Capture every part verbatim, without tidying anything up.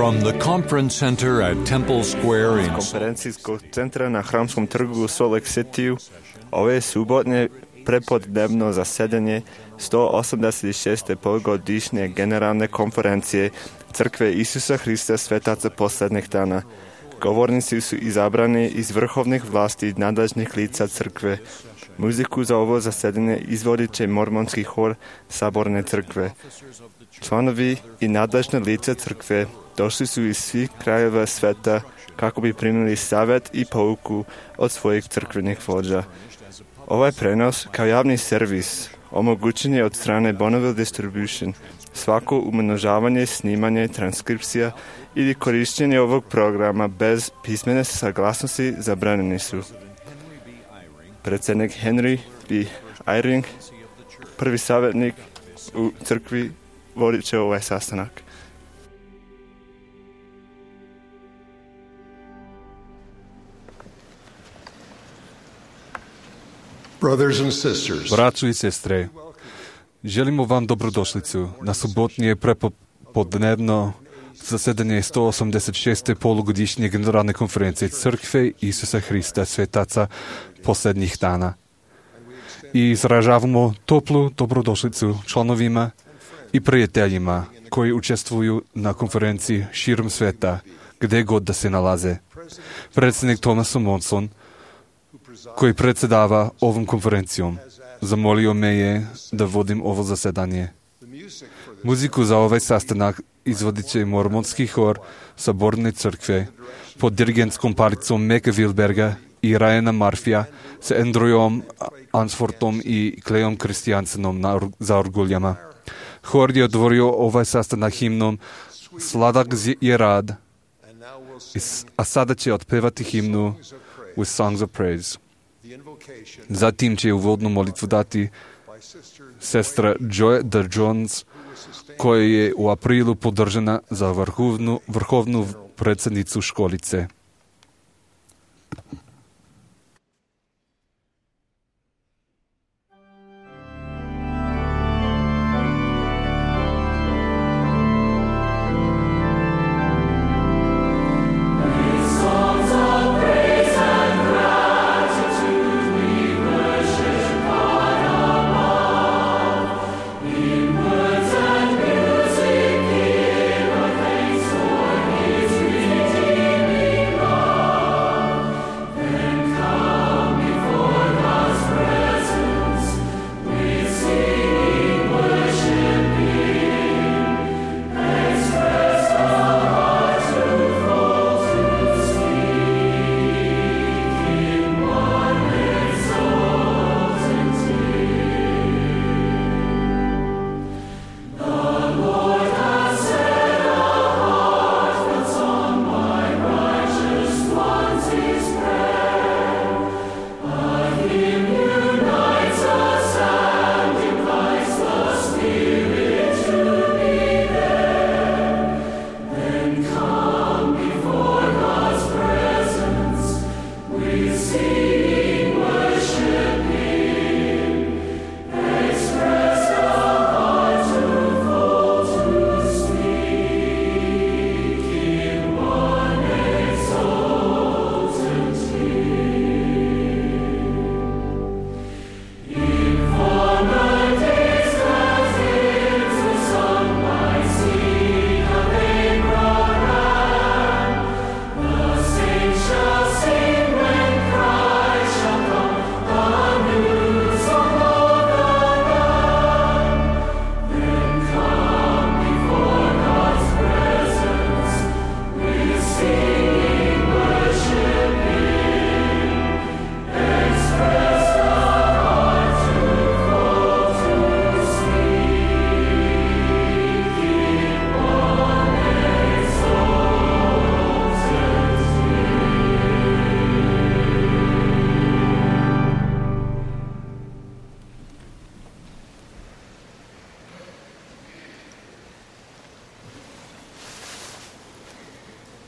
From the conference center at Temple Square in konferencijskog centra na Hramskom trgu u Salt Lake City ove subotnje prepodnevno zasedanje sto osamdeset šeste polugodišnje generalne konferencije Crkve Isusa Hrista Svetaca posljednjih dana. Govornici su izabrani iz vrhovnih vlasti nadležnih lica crkve. Muziku za ovo zasedanje izvodit će mormonski hor Saborne crkve. Članovi i nadležne lica crkve došli su iz svih krajeva sveta kako bi primili savjet i pouku od svojih crkvenih vođa. Ovaj prenos kao javni servis omogućen je od strane Bonneville Distribution. Svako umnožavanje, snimanje, transkripcija ili korištenje ovog programa bez pismene saglasnosti zabranjeni su. Predsjednik Henry B. Eyring, prvi savjetnik u crkvi, vodit će ovaj sastanak. Braćo i sestre, želimo vam dobrodošlicu na subotnije prepodnevno zasedanje sto osamdeset šeste polugodišnje generalne konferencije Crkve Isusa Hrista Svetaca posljednjih dana. I izražavamo toplu dobrodošlicu članovima i prijateljima koji učestvuju na konferenciji širom sveta, gdje god da se nalaze. Predsjednik Thomas Monson, koji predsjedava ovom konferencijom, zamolio me je da vodim ovo zasedanje. Muziku za ovaj sastanak izvodit će mormonski hor Saborne crkve pod dirigentskom palicom Meka Wilberga i Ryana Murphyja s Andrewom Ansfortom i Clayom Christiansenom na, za orguljama. Hor je otvorio ovaj sastanak himnom Sladak je rad, a sada će otpevati himnu With Songs of Praise. Zatim će uvodnu molitvu dati sestra Joy Jones, koja je u aprilu podržana za vrhovnu, vrhovnu predsjednicu školice.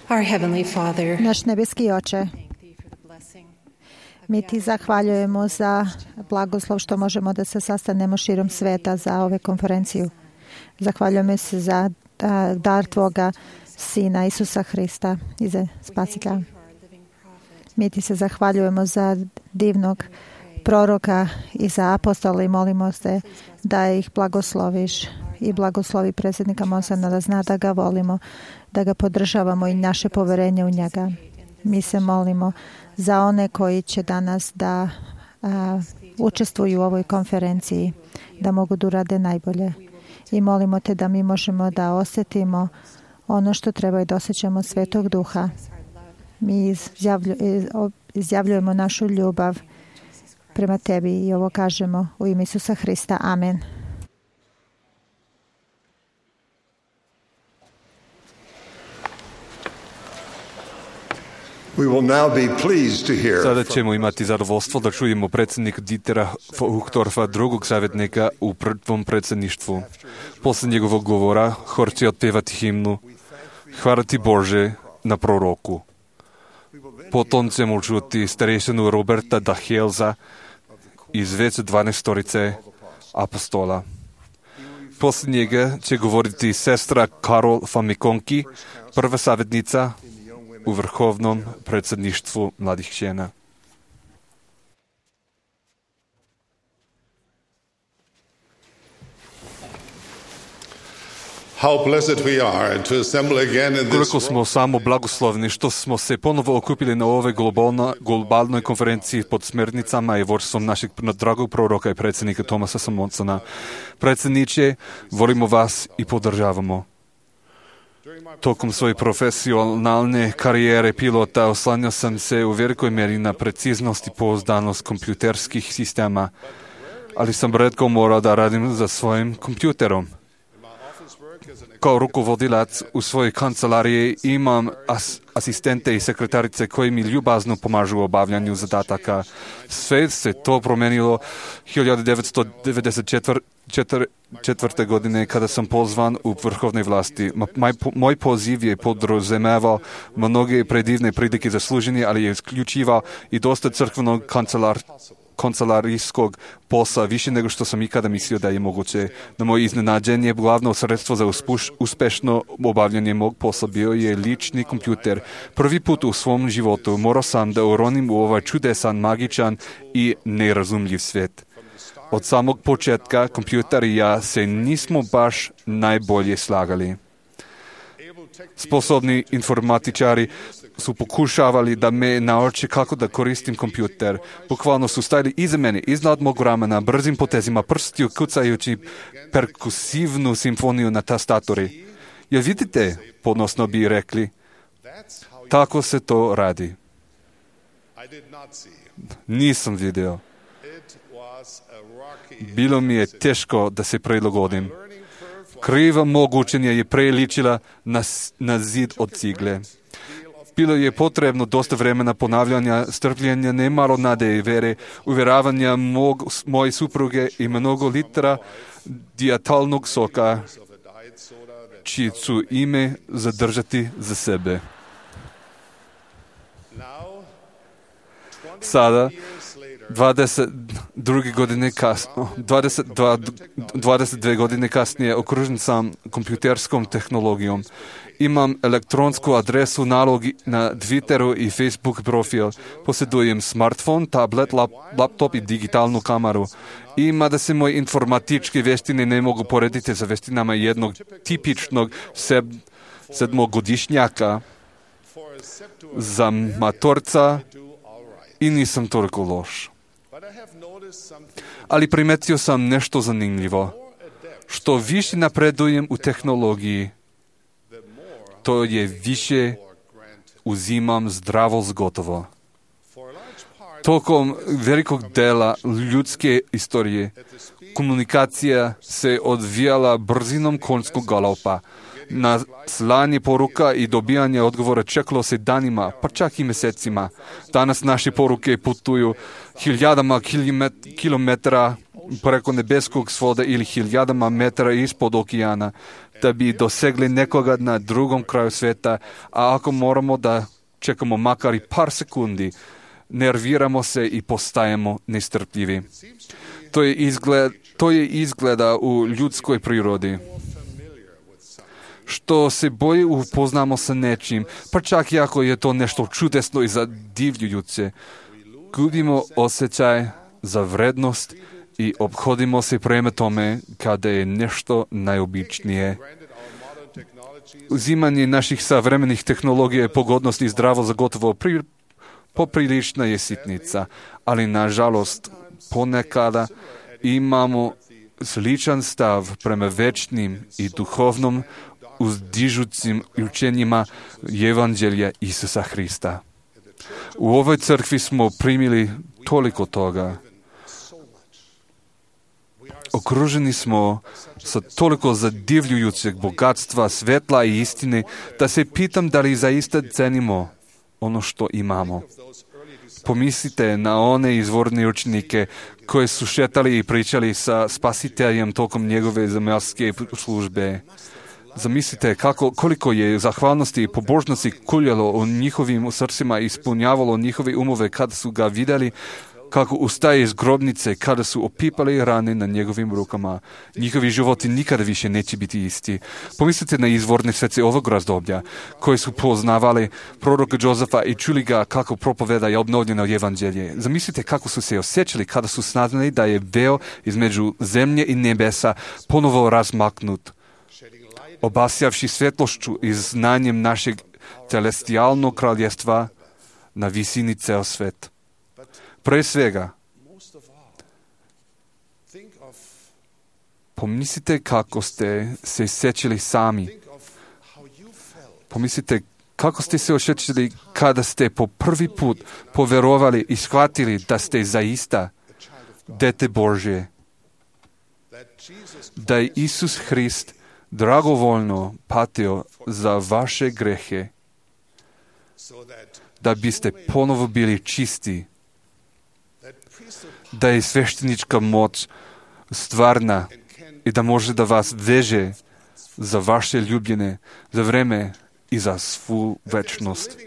Our Heavenly Father, naš nebeski Oče, mi ti zahvaljujemo za blagoslov što možemo da se sastanemo širom sveta za ove konferenciju. Zahvaljujemo se za dar tvoga Sina Isusa Hrista i za Spasitelja. Mi ti se zahvaljujemo za divnog proroka i za apostola i molimo se da ih blagosloviš i blagoslovi predsjednika Mosana, da zna da ga volimo, da ga podržavamo i naše poverenje u njega. Mi se molimo za one koji će danas da a, učestvuju u ovoj konferenciji, da mogu da urade najbolje. I molimo te da mi možemo da osjetimo ono što treba i da osjećamo Svetog Duha. Mi izjavlju, izjavljujemo našu ljubav prema tebi i ovo kažemo u ime Isusa Hrista. Amen. Sada ćemo imati zadovoljstvo da čujemo predsjednika Dietera Uchtdorfa, drugog savjetnika u prvom predsjedništvu. Posle njegovog govora hor će otpevati himnu Hvala ti Bože na proroku. Potom ćemo čuti starešinu Roberta Dahelza iz već dvanaestorice apostola. Posle njega će govoriti sestra Karol Famikonki, prva savjetnica u vrhovnom predsjedništvu mladih žena. Koliko smo samo blagoslovni što smo se ponovo okupili na ovoj globalnoj konferenciji pod smernicama i vodstvom našeg dragog proroka i predsjednika Thomasa Samonsona. Predsjedniče, volimo vas i podržavamo. Tokom svoje profesionalne karijere pilota oslanjao sam se u velikoj mjeri na preciznost i pouzdanost kompjuterskih sistema, ali sam retko morao da radim za svojim kompjuterom. Kao rukovodilac u svojoj kancelariji imam as- asistente i sekretarice koji mi ljubazno pomažu u obavljanju zadataka. Sve se to promenilo hiljadu devetsto devedeset četvrte. godine kada sam pozvan u vrhovnoj vlasti. Moj, moj poziv je podrazumevao mnoge predivne prilike za služenje, ali je isključivao i dosta crkvenog kancelar kancelarijskog posla, više nego što sam ikada mislio da je moguće. Na moje iznenađenje, glavno sredstvo za uspuš, uspešno obavljanje mog posla bio je lični kompjuter. Prvi put u svom životu morao sam da uronim u ovaj čudesan, magičan i nerazumljiv svijet. Od samog početka kompjuter i ja se nismo baš najbolje slagali. Sposobni informatičari su pokušavali da me nauče kako da koristim kompjuter. Bukvalno su stajali iza mene, iznad mog ramena, brzim potezima prstiju, kucajući perkusivnu simfoniju na tastatori. Jel vidite, podnosno bi rekli, tako se to radi. Nisam vidio. Bilo mi je teško da se prilagodim. Kriva mog učenja je preličila na, na zid od cigle. Bilo je potrebno dosta vremena ponavljanja, strpljenja, nemalo nade i vere, uvjeravanja mog, moje supruge i mnogo litera dijatalnog soka, čije ću ime zadržati za sebe. Sada, dvadeset dvije godine kasno, dvadeset dva, dvadeset dvije godine kasnije okružen sam kompjuterskom tehnologijom. Imam elektronsku adresu, nalog na Twitteru i Facebook profil. Posjedujem smartphone, tablet, lap, laptop i digitalnu kameru. I mada se moje informatičke vještine ne mogu porediti sa vještinama jednog tipičnog sed, sedmogodišnjaka, za matorca i nisam toliko loš. Ali primetio sam nešto zanimljivo. Što više napredujem u tehnologiji, to je više uzimam zdravo zgotovo. Tokom velikog dela ljudske istorije komunikacija se odvijala brzinom konjskog galopa. Na slanje poruka i dobijanje odgovora čekalo se danima, pa čak i mjesecima. Danas naše poruke putuju hiljadama kilometara preko nebeskog svoda ili hiljadama metara ispod okeana da bi dosegli nekoga na drugom kraju svijeta, a ako moramo da čekamo makar i par sekundi, nerviramo se i postajemo nestrpljivi. To je izgled, to je izgleda u ljudskoj prirodi. što se bolje upoznamo sa nečim, pa čak i ako je to nešto čudesno i zadivljujuće, gubimo osjećaj za vrednost i obhodimo se prema tome kada je nešto najobičnije. Uzimanje naših savremenih tehnologija je pogodnost i zdravo za gotovo pri, poprilična je sitnica, ali nažalost ponekada imamo sličan stav prema večnim i duhovnom uzdižućim učenjima Evanđelja Isusa Hrista. U ovoj crkvi smo primili toliko toga. Okruženi smo sa toliko zadivljujućeg bogatstva, svetla i istine, da se pitam da li zaista cenimo ono što imamo. Pomislite na one izvorne učenike koji su šetali i pričali sa Spasiteljem tokom njegove zemaljske službe. Zamislite kako, koliko je zahvalnosti i pobožnosti kuljalo u njihovim srcima i ispunjavalo njihove umove kada su ga vidjeli, kako ustaje iz grobnice, kada su opipali rane na njegovim rukama. Njihovi životi nikada više neće biti isti. Pomislite na izvorne svece ovog razdoblja, koji su poznavali proroka Jozefa i čuli ga kako propoveda je obnovljeno evanđelje. Zamislite kako su se osjećali kada su saznali da je veo između zemlje i nebesa ponovo razmaknut, obasjavši svetlošću i znanjem našeg celestijalnog kraljestva na visini ceo svet. Pre svega, pomislite kako ste se sjećali sami. Pomislite kako ste se osjećali kada ste po prvi put poverovali i shvatili da ste zaista dete Božje. Da je Isus Hrist dragovoljno patio za vaše grehe, da biste ponovo bili čisti, da je sveštenička moć stvarna i da može da vas veže za vaše ljubljene, za vreme i za svu večnost.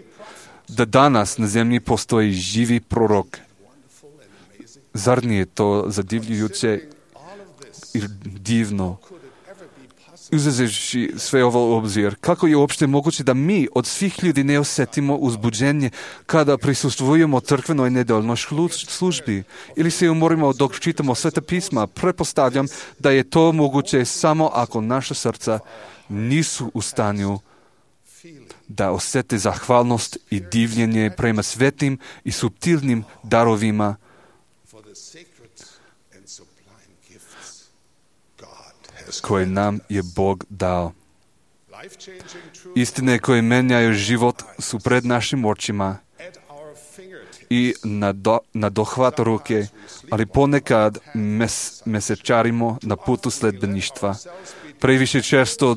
Da danas na zemlji postoji živi prorok. Zar nije to zadivljujuće i divno? Uzevši sve ovo u obzir, kako je uopšte moguće da mi od svih ljudi ne osjetimo uzbuđenje kada prisustvujemo crkvenoj nedeljnoj službi ili se umorimo dok čitamo Sveta pisma? Pretpostavljam da je to moguće samo ako naša srca nisu u stanju da osjete zahvalnost i divljenje prema svetim i suptilnim darovima koje nam je Bog dao. Istine koje menjaju život su pred našim očima i na, do, na dohvat ruke, ali ponekad mes, mesečarimo na putu sledbeništva. Previše često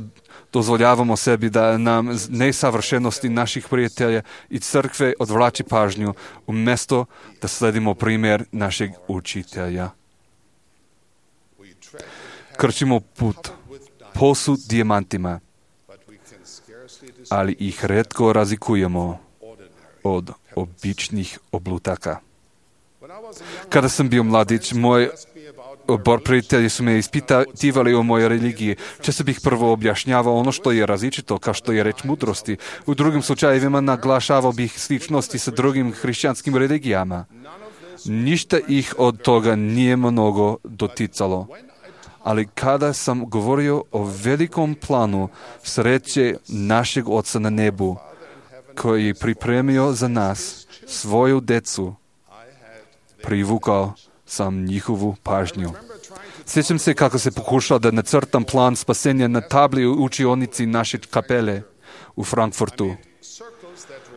dozvoljavamo sebi da nam nesavršenosti naših prijatelja i crkve odvlači pažnju, umjesto da sledimo primjer našeg učitelja. Krčimo put posut dijamantima, ali ih retko razlikujemo od običnih oblutaka. Kada sam bio mladić, moj odbor prijatelji su me ispitivali o mojoj religiji. Često bih prvo objašnjavao ono što je različito, kao što je reč mudrosti. U drugim slučajevima naglašavao bih sličnosti sa drugim hrišćanskim religijama. Ništa ih od toga nije mnogo doticalo. Ali kada sam govorio o velikom planu sreće našeg Oca na nebu, koji je pripremio za nas svoju decu, privukao sam njihovu pažnju. Sjećam se kako se pokušao da nacrtam plan spasenja na tabli u učionici naše kapele u Frankfurtu.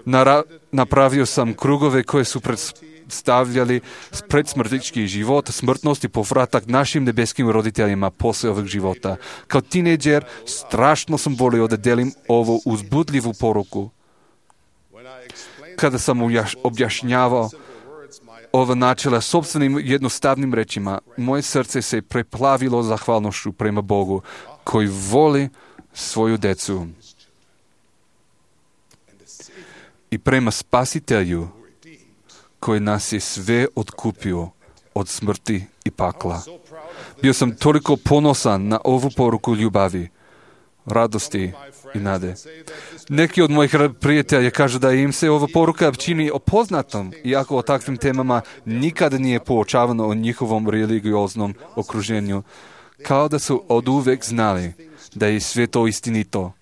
Nara- napravio sam krugove koje su predstavljali predsmrtnički život, smrtnost i povratak našim nebeskim roditeljima posle ovog života. Kao tineđer strašno sam volio da delim ovu uzbudljivu poruku. Kada sam objašnjavao ova načela sopstvenim jednostavnim rečima, moje srce se preplavilo zahvalnošću prema Bogu, koji voli svoju decu. I prema Spasitelju, koji nas je sve otkupio od smrti i pakla. Bio sam toliko ponosan na ovu poruku ljubavi. radosti i nade. Neki od mojih prijatelja kažu da im se ova poruka čini opoznatom, iako o takvim temama nikada nije poučavano o njihovom religioznom okruženju, kao da su oduvek znali da je sve to istinito,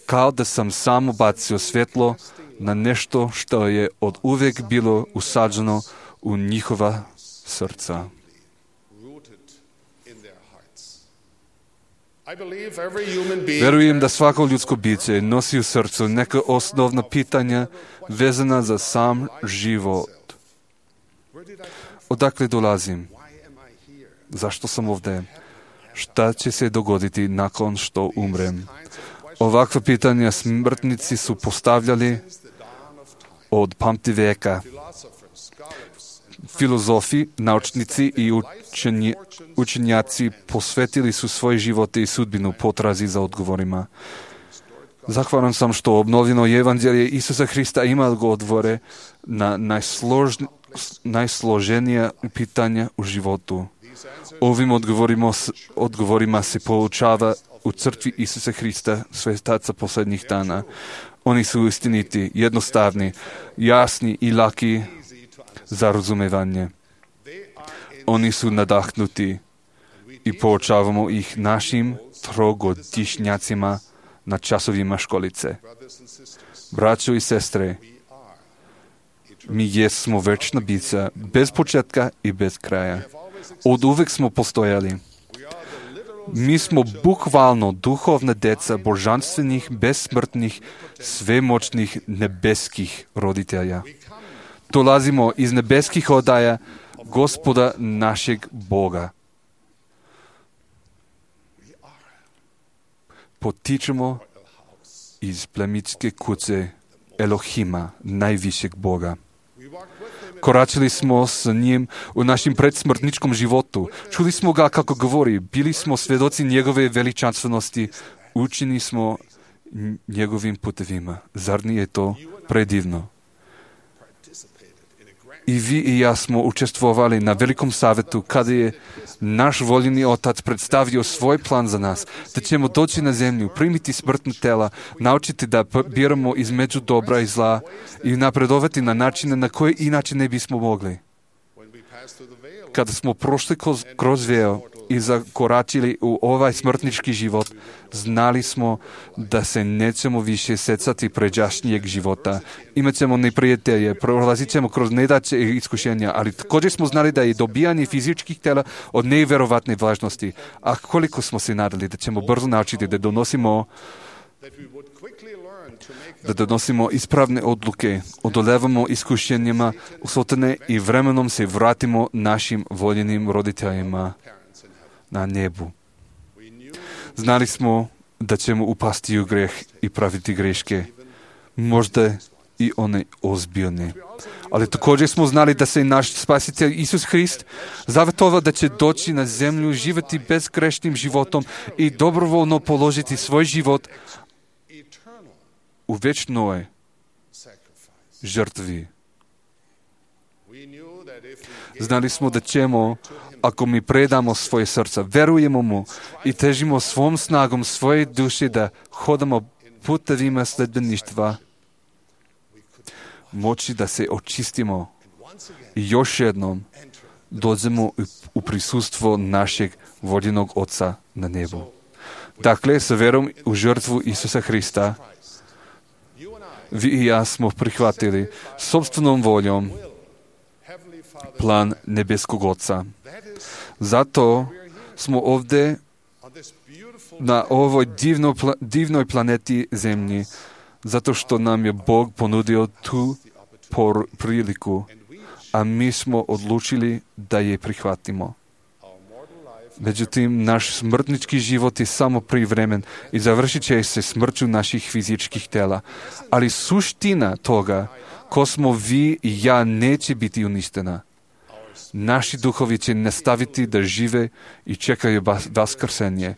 kao da sam samo bacio svjetlo na nešto što je od uvek bilo usađeno u njihova srca. Verujem da svako ljudsko biće nosi u srcu neka osnovna pitanja vezana za sam život. Odakle dolazim? Zašto sam ovdje? Šta će se dogoditi nakon što umrem? Ovakva pitanja smrtnici su postavljali od pamti veka. Filozofi, naučnici i učenji, učenjaci posvetili su svoje živote i sudbinu potrazi za odgovorima. Zahvalan sam što obnovljeno evanđelje Isusa Hrista ima odgovore na najslož, najsloženija pitanja u životu. Ovim odgovorima, odgovorima se poučava u crkvi Isusa Hrista, svetaca posljednjih dana. Oni su istiniti, jednostavni, jasni i laki za razumevanje. Oni su nadahnuti i poučavamo ih našim trogodišnjacima na časovima školice. Braćo i sestre, mi jesmo večna bića, bez početka i bez kraja. Od uvek smo postojali. Mi smo bukvalno duhovna deca božanstvenih, besmrtnih, svemoćnih, nebeskih roditelja. Dolazimo iz nebeskih odaja Gospoda našeg Boga. Potičemo iz plemitske kuće Elohima, najvišeg Boga. Koračili smo s njim u našem predsmrtničkom životu. Čuli smo ga kako govori. Bili smo svjedoci njegove veličanstvenosti. Učeni smo njegovim putevima. Zar nije to predivno? I vi i ja smo učestvovali na velikom savjetu kada je naš voljeni Otac predstavio svoj plan za nas, da ćemo doći na zemlju, primiti smrtna tela, naučiti da biramo između dobra i zla i napredovati na načine na koje inače ne bismo mogli. Kada smo prošli kroz veo i zakoračili u ovaj smrtnički život, znali smo da se nećemo više secati pređašnjeg života. Imaćemo neprijatelje, prolazit ćemo kroz nedaće i iskušenja, ali također smo znali da je dobijanje fizičkih tela od nevjerovatne važnosti. A koliko smo se nadali da ćemo brzo naučiti da donosimo da donosimo ispravne odluke, odolevamo iskušenjima usotane i vremenom se vratimo našim voljenim roditeljima na nebu. Znali smo da ćemo upasti u greh i praviti greške, možda i one ozbiljne. Ali također smo znali da se naš spasitelj Isus Hrist zavetovao da će doći na zemlju, živjeti bezgrešnim životom i dobrovoljno položiti svoj život u večnoj žrtvi. Znali smo da ćemo, ako mi predamo svoje srca, verujemo mu i težimo svom snagom svoje duše da hodamo putevima sledbeništva, moći da se očistimo i još jednom dođemo u prisustvo našeg voljenog Oca na nebu. Dakle, sa verom u žrtvu Isusa Hrista, vi i ja smo prihvatili sopstvenom voljom plan nebeskog Oca. Zato smo ovdje na ovoj divno, divnoj planeti Zemlji, zato što nam je Bog ponudio tu por priliku, a mi smo odlučili da je prihvatimo. Međutim, naš smrtnički život je samo privremen i završit će se smrću naših fizičkih tela. Ali suština toga, ko smo vi i ja, neće biti uništena. Naši duhovi će nastaviti da žive i čekaju vaskrsenje.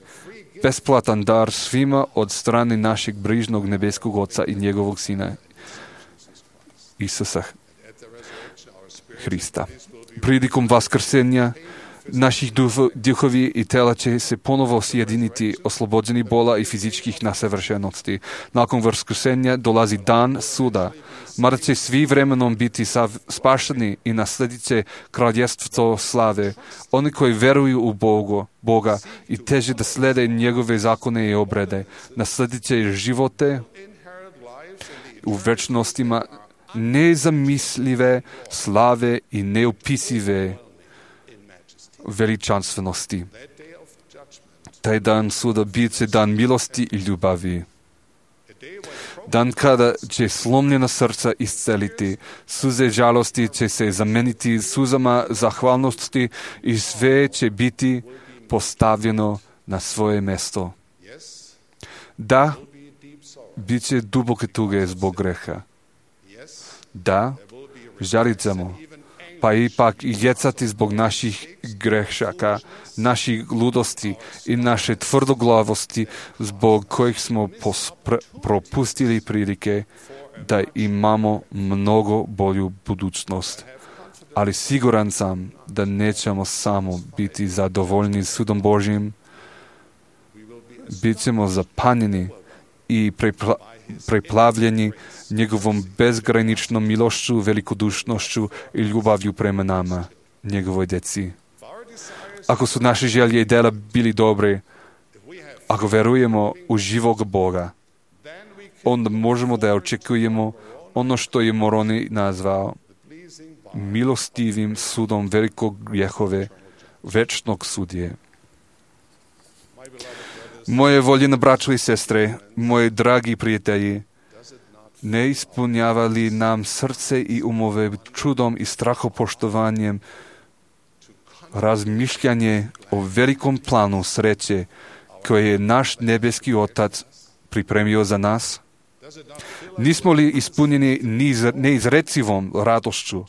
Besplatan dar svima od strane našeg brižnog nebeskog Oca i njegovog Sina Isusa Hrista. Prilikom vaskrsenja Naših duhovi i tela će se ponovo sjediniti, oslobođeni bola i fizičkih nesavršenosti. Nakon vaskrsenja dolazi dan suda, mada će svi vremenom biti spašeni i nasledit će kraljevstvo slave. Oni koji veruju u Bogu, Boga i teže da slede njegove zakone i obrede, nasledit će živote u večnostima nezamislive slave i neopisive veličanstvenosti. Taj dan suda bit će dan milosti i ljubavi. Dan kada će slomljena srca isceliti, suze žalosti će se zameniti suzama zahvalnosti i sve će biti postavljeno na svoje mesto. Da, bit će duboke tuge zbog greha. Da, žalit ćemo, pa ipak i jecati zbog naših grešaka, naših ludosti i naše tvrdoglavosti zbog kojih smo pospr- propustili prilike da imamo mnogo bolju budućnost. Ali siguran sam da nećemo samo biti zadovoljni sudom Božjim, bit ćemo zapanjeni i prepla- preplavljeni njegovom bezgraničnom milošću, velikodušnošću i ljubavlju prema nama, njegovoj djeci. Ako su naše želje i dela bili dobre, ako verujemo u živog Boga, onda možemo da očekujemo ono što je Moroni nazvao milostivim sudom velikog grijehove, večnog sudje. Moje voljene braćo i sestre, moji dragi prijatelji, ne ispunjava li nam srce i umove čudom i strahopoštovanjem razmišljanje o velikom planu sreće koje je naš nebeski Otac pripremio za nas? Nismo li ispunjeni neizrecivom radošću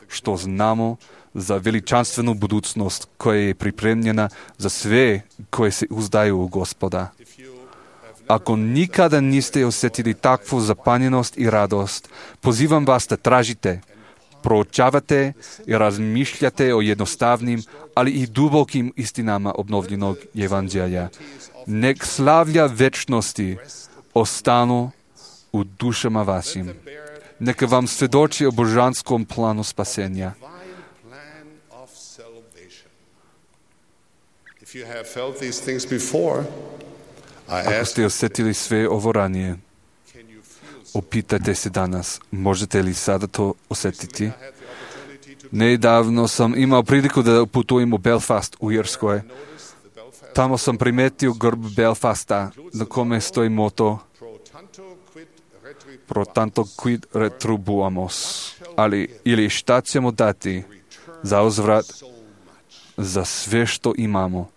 što znamo za veličanstvenu budućnost koja je pripremljena za sve koje se uzdaju u Gospoda? Ako nikada niste osjetili takvu zapanjenost i radost, pozivam vas da tražite, proučavate i razmišljate o jednostavnim, ali i dubokim istinama obnovljenog evanđelja. Nek slavlja večnosti ostanu u dušama vašim. Neka vam svjedoči o božanskom planu spasenja. Ako ste osjetili sve ovo ranije, opitajte se danas, možete li sada to osjetiti? Nedavno sam imao priliku da putujem u Belfast u Irskoj. Tamo sam primetio grb Belfasta na kome stoji moto Pro tanto quid retribuamos, ali ili šta ćemo dati za uzvrat za sve što imamo.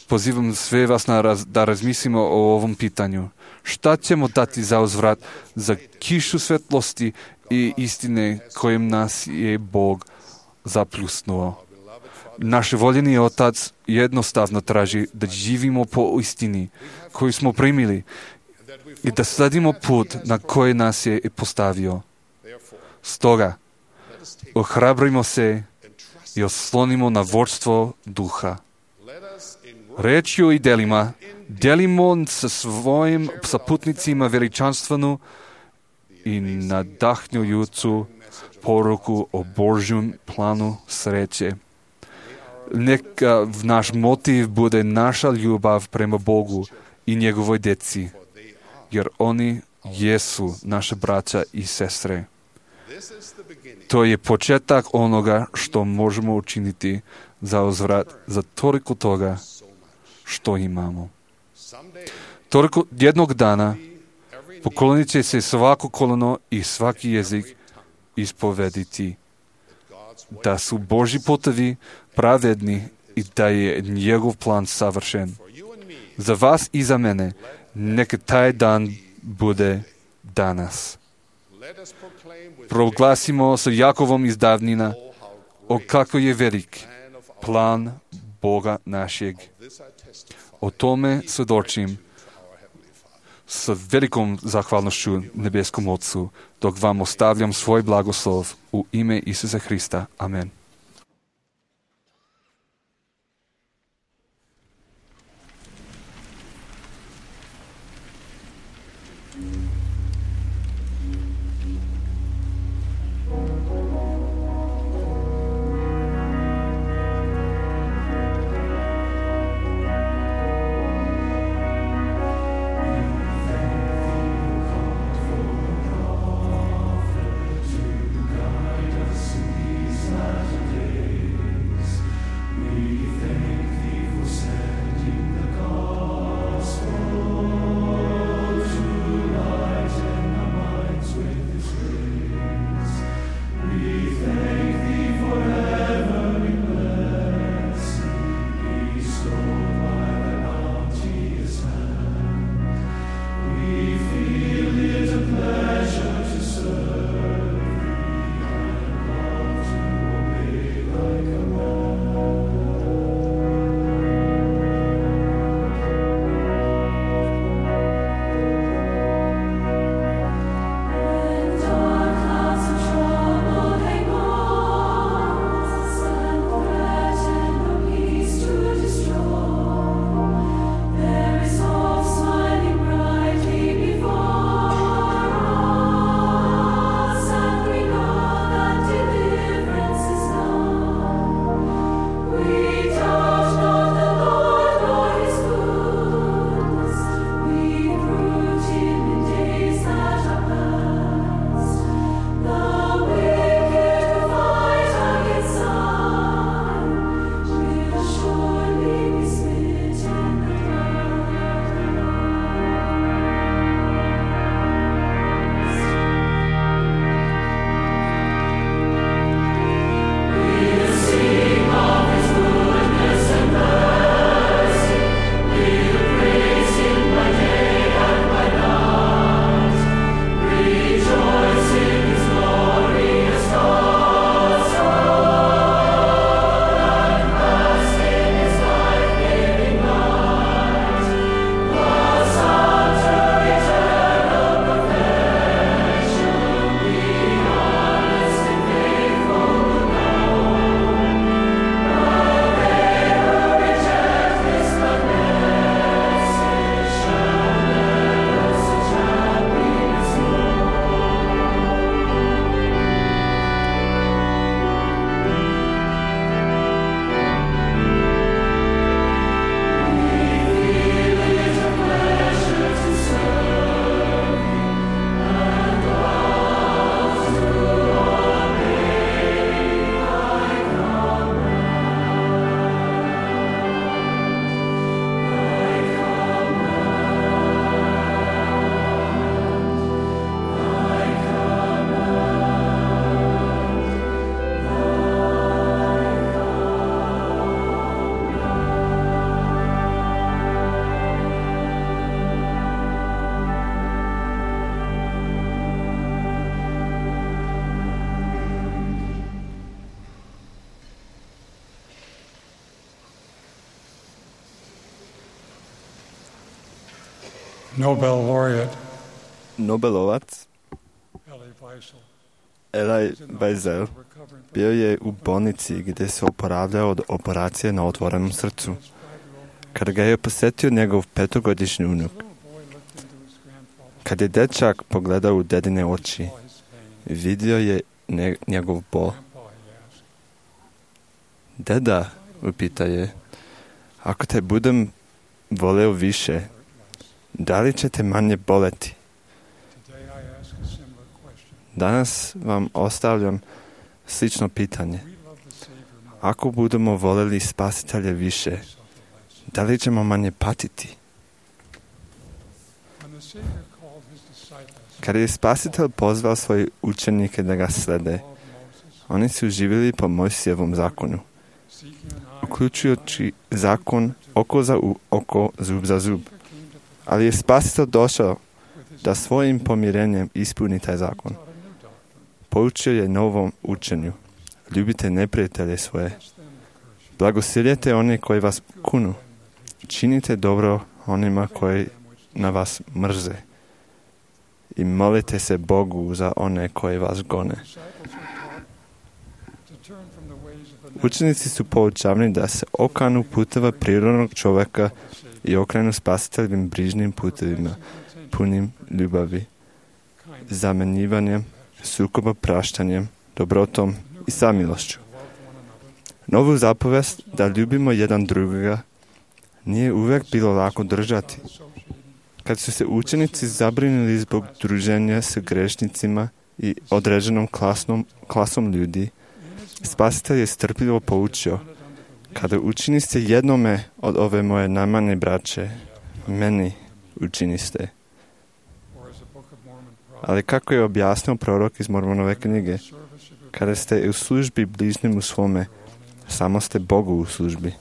Pozivam sve vas na raz, da razmislimo o ovom pitanju. Šta ćemo dati za uzvrat za kišu svetlosti i istine kojim nas je Bog zapljusnuo? Naš voljeni Otac jednostavno traži da živimo po istini koju smo primili i da sledimo put na koji nas je postavio. Stoga, ohrabrimo se i oslonimo na vodstvo duha. Rečju i delima delimo sa svojim saputnicima veličanstvenu i nadahnjujuću poruku o Božjem planu sreće. Neka naš motiv bude naša ljubav prema Bogu i njegovoj djeci, jer oni jesu naše braća i sestre. To je početak onoga što možemo učiniti za uzvrat za toliko toga što imamo. Toliko jednog dana poklonit će se svako koleno i svaki jezik ispovediti da su Božji putevi pravedni i da je njegov plan savršen. Za vas i za mene neka taj dan bude danas. Proglasimo sa Jakovom iz davnina o kako je velik plan Boga našeg. O tome svjedočim s velikom zahvalnošću nebeskom Otcu, dok vam ostavljam svoj blagoslov u ime Isusa Hrista. Amen. Nobel laureate Nobelovac Elie Wiesel bio je u bolnici gdje se oporavljao od operacije na otvorenom srcu. Kada ga je posjetio njegov petogodišnji unuk, kad je dečak pogledao u dedine oči, vidio je ne, njegov bol. Deda, upita je, ako te budem voleo više, da li će te manje boleti? Danas vam ostavljam slično pitanje. Ako budemo voljeli Spasitelja više, da li ćemo manje patiti? Kada je Spasitelj pozvao svoje učenike da ga slede, oni su živjeli po Mojsijevom zakonu, uključujući zakon oko za oko, zub za zub. Ali je Spasitelj došao da svojim pomirenjem ispuni taj zakon. Poučio je novom učenju. Ljubite neprijatelje svoje. Blagosiljete one koji vas kunu. Činite dobro onima koji na vas mrze. I molite se Bogu za one koji vas gone. Učenici su poučavani da se okanu puteva prirodnog čovjeka i okrenu spasiteljivim brižnim putevima, punim ljubavi, zamenjivanjem, sukoba praštanjem, dobrotom i samilošću. Novu zapovest da ljubimo jedan drugoga nije uvijek bilo lako držati. Kad su se učenici zabrinuli zbog druženja s grešnicima i određenom klasnom, klasom ljudi, Spasitelj je strpljivo poučio: kada učiniste jednome od ove moje najmanje braće, meni učiniste. Ali kako je objasnio prorok iz Mormonove knjige, kada ste u službi bližnjemu svome, samo ste Bogu u službi.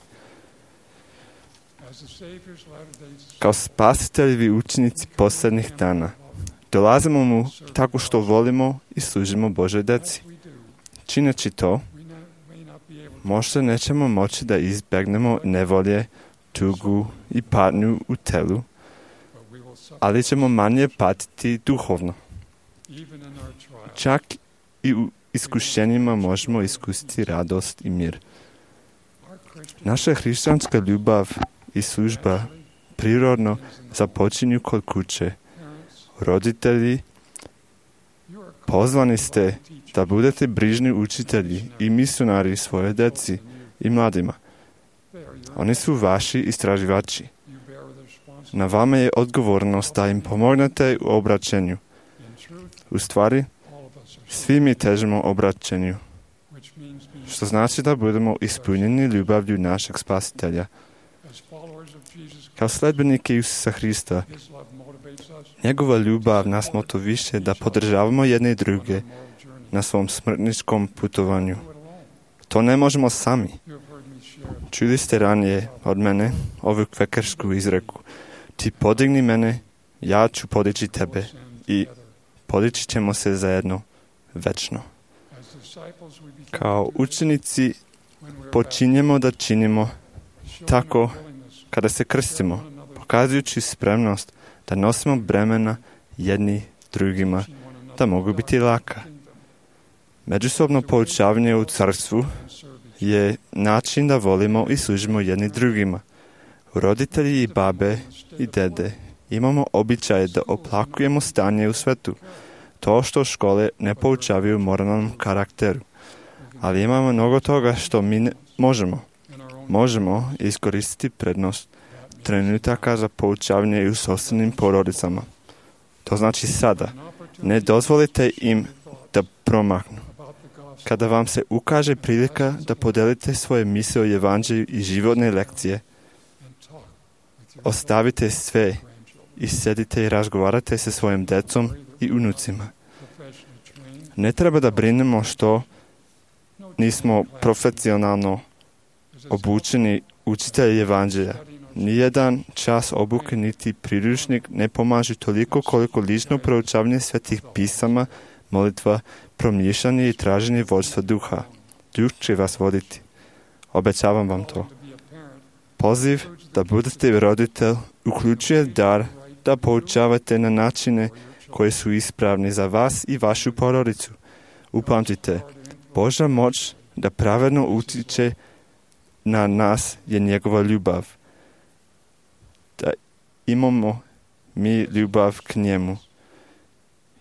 Kao spasiteljevi učenici posljednjih dana, dolazimo mu tako što volimo i služimo Božoj deci. Čineći to, možda nećemo moći da izbjegnemo nevolje, tugu i patnju u telu, ali ćemo manje patiti duhovno. Čak i u iskušenjima možemo iskusiti radost i mir. Naša hrišćanska ljubav i služba prirodno započinju kod kuće. Roditelji, pozvani ste da budete brižni učitelji i misionari svoje deci i mladima. Oni su vaši istraživači. Na vama je odgovornost da im pomognete u obraćenju. U stvari, svi mi težimo obraćenju, što znači da budemo ispunjeni ljubavlju našeg Spasitelja. Kao sledbenike Isusa Hrista, njegova ljubav nas motiviše da podržavamo jedne i druge na svom smrtničkom putovanju. To ne možemo sami. Čuli ste ranije od mene ovu kvekersku izreku: ti podigni mene, ja ću podići tebe i podići ćemo se zajedno večno. Kao učenici počinjemo da činimo tako kada se krstimo, pokazujući spremnost da nosimo bremena jedni drugima, da mogu biti laka. Međusobno poučavanje u carstvu je način da volimo i služimo jedni drugima. Roditelji i babe i dede imamo običaj da oplakujemo stanje u svetu, to što škole ne poučavaju moralnom karakteru. Ali imamo mnogo toga što mi ne možemo. Možemo iskoristiti prednost trenutaka za poučavanje i u sopstvenim porodicama. To znači sada. Ne dozvolite im da promaknu. Kada vam se ukaže prilika da podelite svoje misle o evanđelju i životne lekcije, ostavite sve i sedite i razgovarate sa svojim decom i unucima. Ne treba da brinemo što nismo profesionalno obučeni učitelji evanđelja. Nijedan čas obuke niti priručnik ne pomaže toliko koliko lično proučavanje svetih pisama, molitva, promišljanje i traženje vodstva duha. Duh će vas voditi. Obećavam vam to. Poziv da budete roditelj uključuje dar da poučavate na načine koji su ispravni za vas i vašu porodicu. Upamtite, Božja moć da pravedno utiče na nas je njegova ljubav. Da imamo mi ljubav k njemu,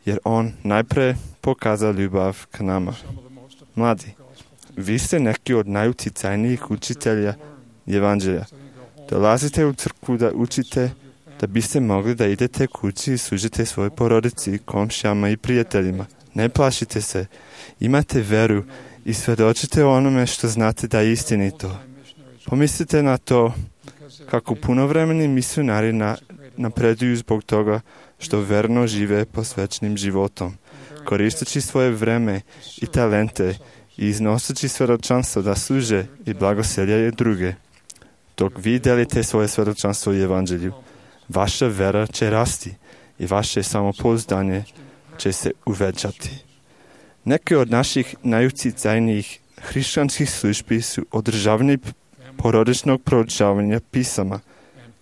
jer on najprije pokazao ljubav k nama. Mladi, vi ste neki od najuticajnijih učitelja evanđelja. Dolazite u crkvu da učite, da biste mogli da idete kući i služite svoje porodici, komšijama i prijateljima. Ne plašite se, imate veru i svjedočite o onome što znate da je istinito. Pomislite na to kako punovremeni misionari na, napreduju zbog toga što verno žive posvećenim životom, koristeći svoje vreme i talente i iznoseći svjedočanstvo da služe i blagoseljaju druge. Dok vi delite svoje svjedočanstvo i evanđelju, vaša vera će rasti i vaše samopouzdanje će se uvećati. Neke od naših najuticajnijih hrišćanskih službi su održavanje porodičnog proučavanja pisama,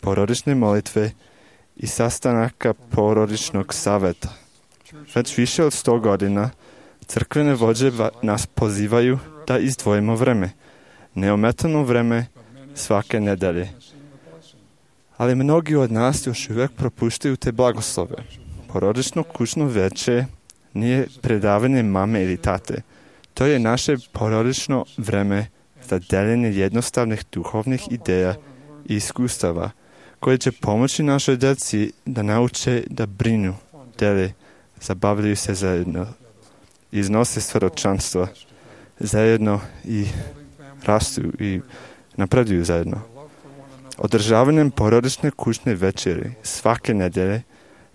porodične molitve i sastanaka porodičnog saveta. Već više od sto godina crkvene vođe nas pozivaju da izdvojimo vreme, neometano vreme svake nedelje. Ali mnogi od nas još uvijek propuštaju te blagoslove. Porodično kućno veče nije predavanje mame ili tate. To je naše porodično vreme za deljenje jednostavnih duhovnih ideja i iskustava koje će pomoći našoj djeci da nauče da brinu, dele, zabavljaju se zajedno, iznose svjedočanstva zajedno i rastu i napreduju zajedno. Održavanjem porodične kućne večeri svake nedjelje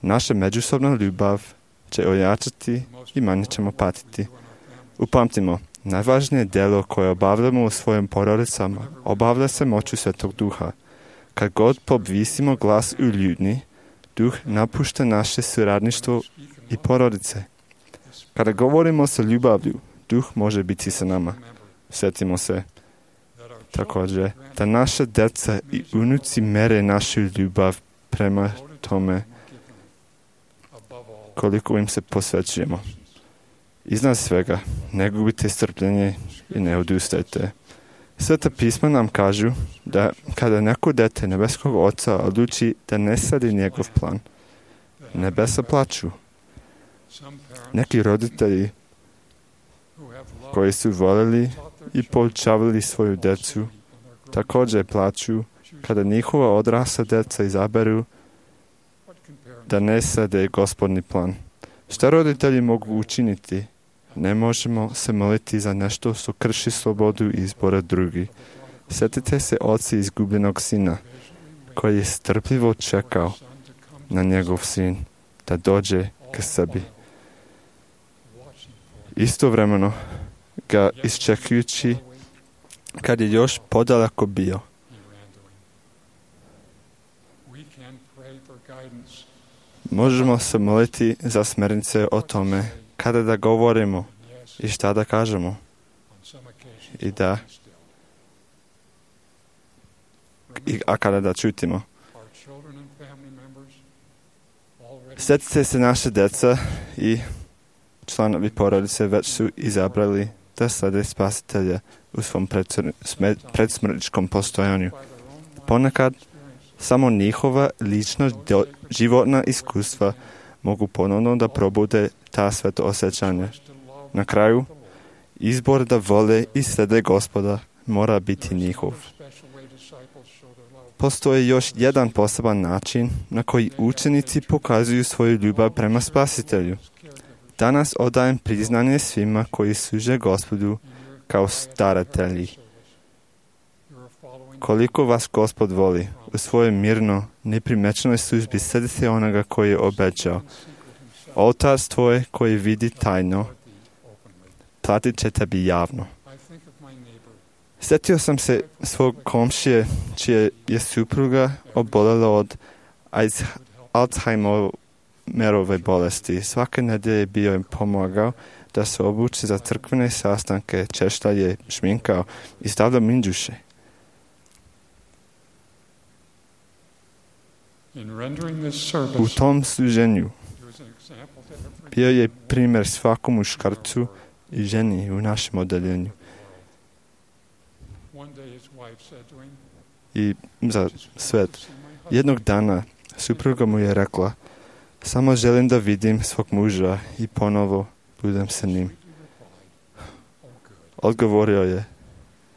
naša međusobna ljubav će ojačati i manje ćemo patiti. Upamtimo, najvažnije djelo koje obavljamo u svojim porodicama obavlja se moću Svetog Duha. Kad god podvisimo glas u ljudni, Duh napušta naše suradništvo i porodice. Kada govorimo sa ljubavlju, Duh može biti sa nama. Sjetimo se također da naša djeca i unuci mere našu ljubav prema tome koliko im se posvećujemo. Iznad svega, ne gubite strpljenje i ne odustajte. Sveta pisma nam kažu da kada neko dete nebeskog Oca odluči da ne sadi njegov plan, nebesa plaču. Neki roditelji koji su voljeli i poučavali svoju djecu također plaču kada njihova odrasla djeca izaberu da ne sade Gospodni plan. Šta roditelji mogu učiniti? Ne možemo se moliti za nešto što krši slobodu izbora drugih. Sjetite se oca izgubljenog sina, koji je strpljivo čekao na njegov sin da dođe k sebi. Istovremeno ga iščekujući kad je još podaleko bio. Možemo se moliti za smjernice o tome kada da govorimo i šta da kažemo i da i, a kada da čutimo. Sjetite se naše djeca i članovi porodice već su izabrali da slede Spasitelja u svom predsmrtničkom postojanju. Ponekad samo njihova lična do, životna iskustva mogu ponovno da probude ta sveto osjećanja. Na kraju, izbor da vole i slede Gospoda mora biti njihov. Postoji još jedan poseban način na koji učenici pokazuju svoju ljubav prema Spasitelju. Danas odajem priznanje svima koji služe Gospodu kao staratelji. Koliko vas Gospod voli, u svojoj mirno, neprimečnoj službi sledite onoga koji je obećao. Otac tvoj koji vidi tajno, platit će tebi javno. Sjetio sam se svog komšije, čije je supruga obolela od Alzheimerove bolesti. Svake nedjelje bio im pomogao da se obuči za crkvene sastanke, češlja je šminkao i stavljao minđuše. U tom služenju bio je primjer svakom muškarcu i ženi u našem odeljenju. I za svet. Jednog dana supruga mu je rekla: samo želim da vidim svog muža i ponovo budem sa njim. Odgovorio je: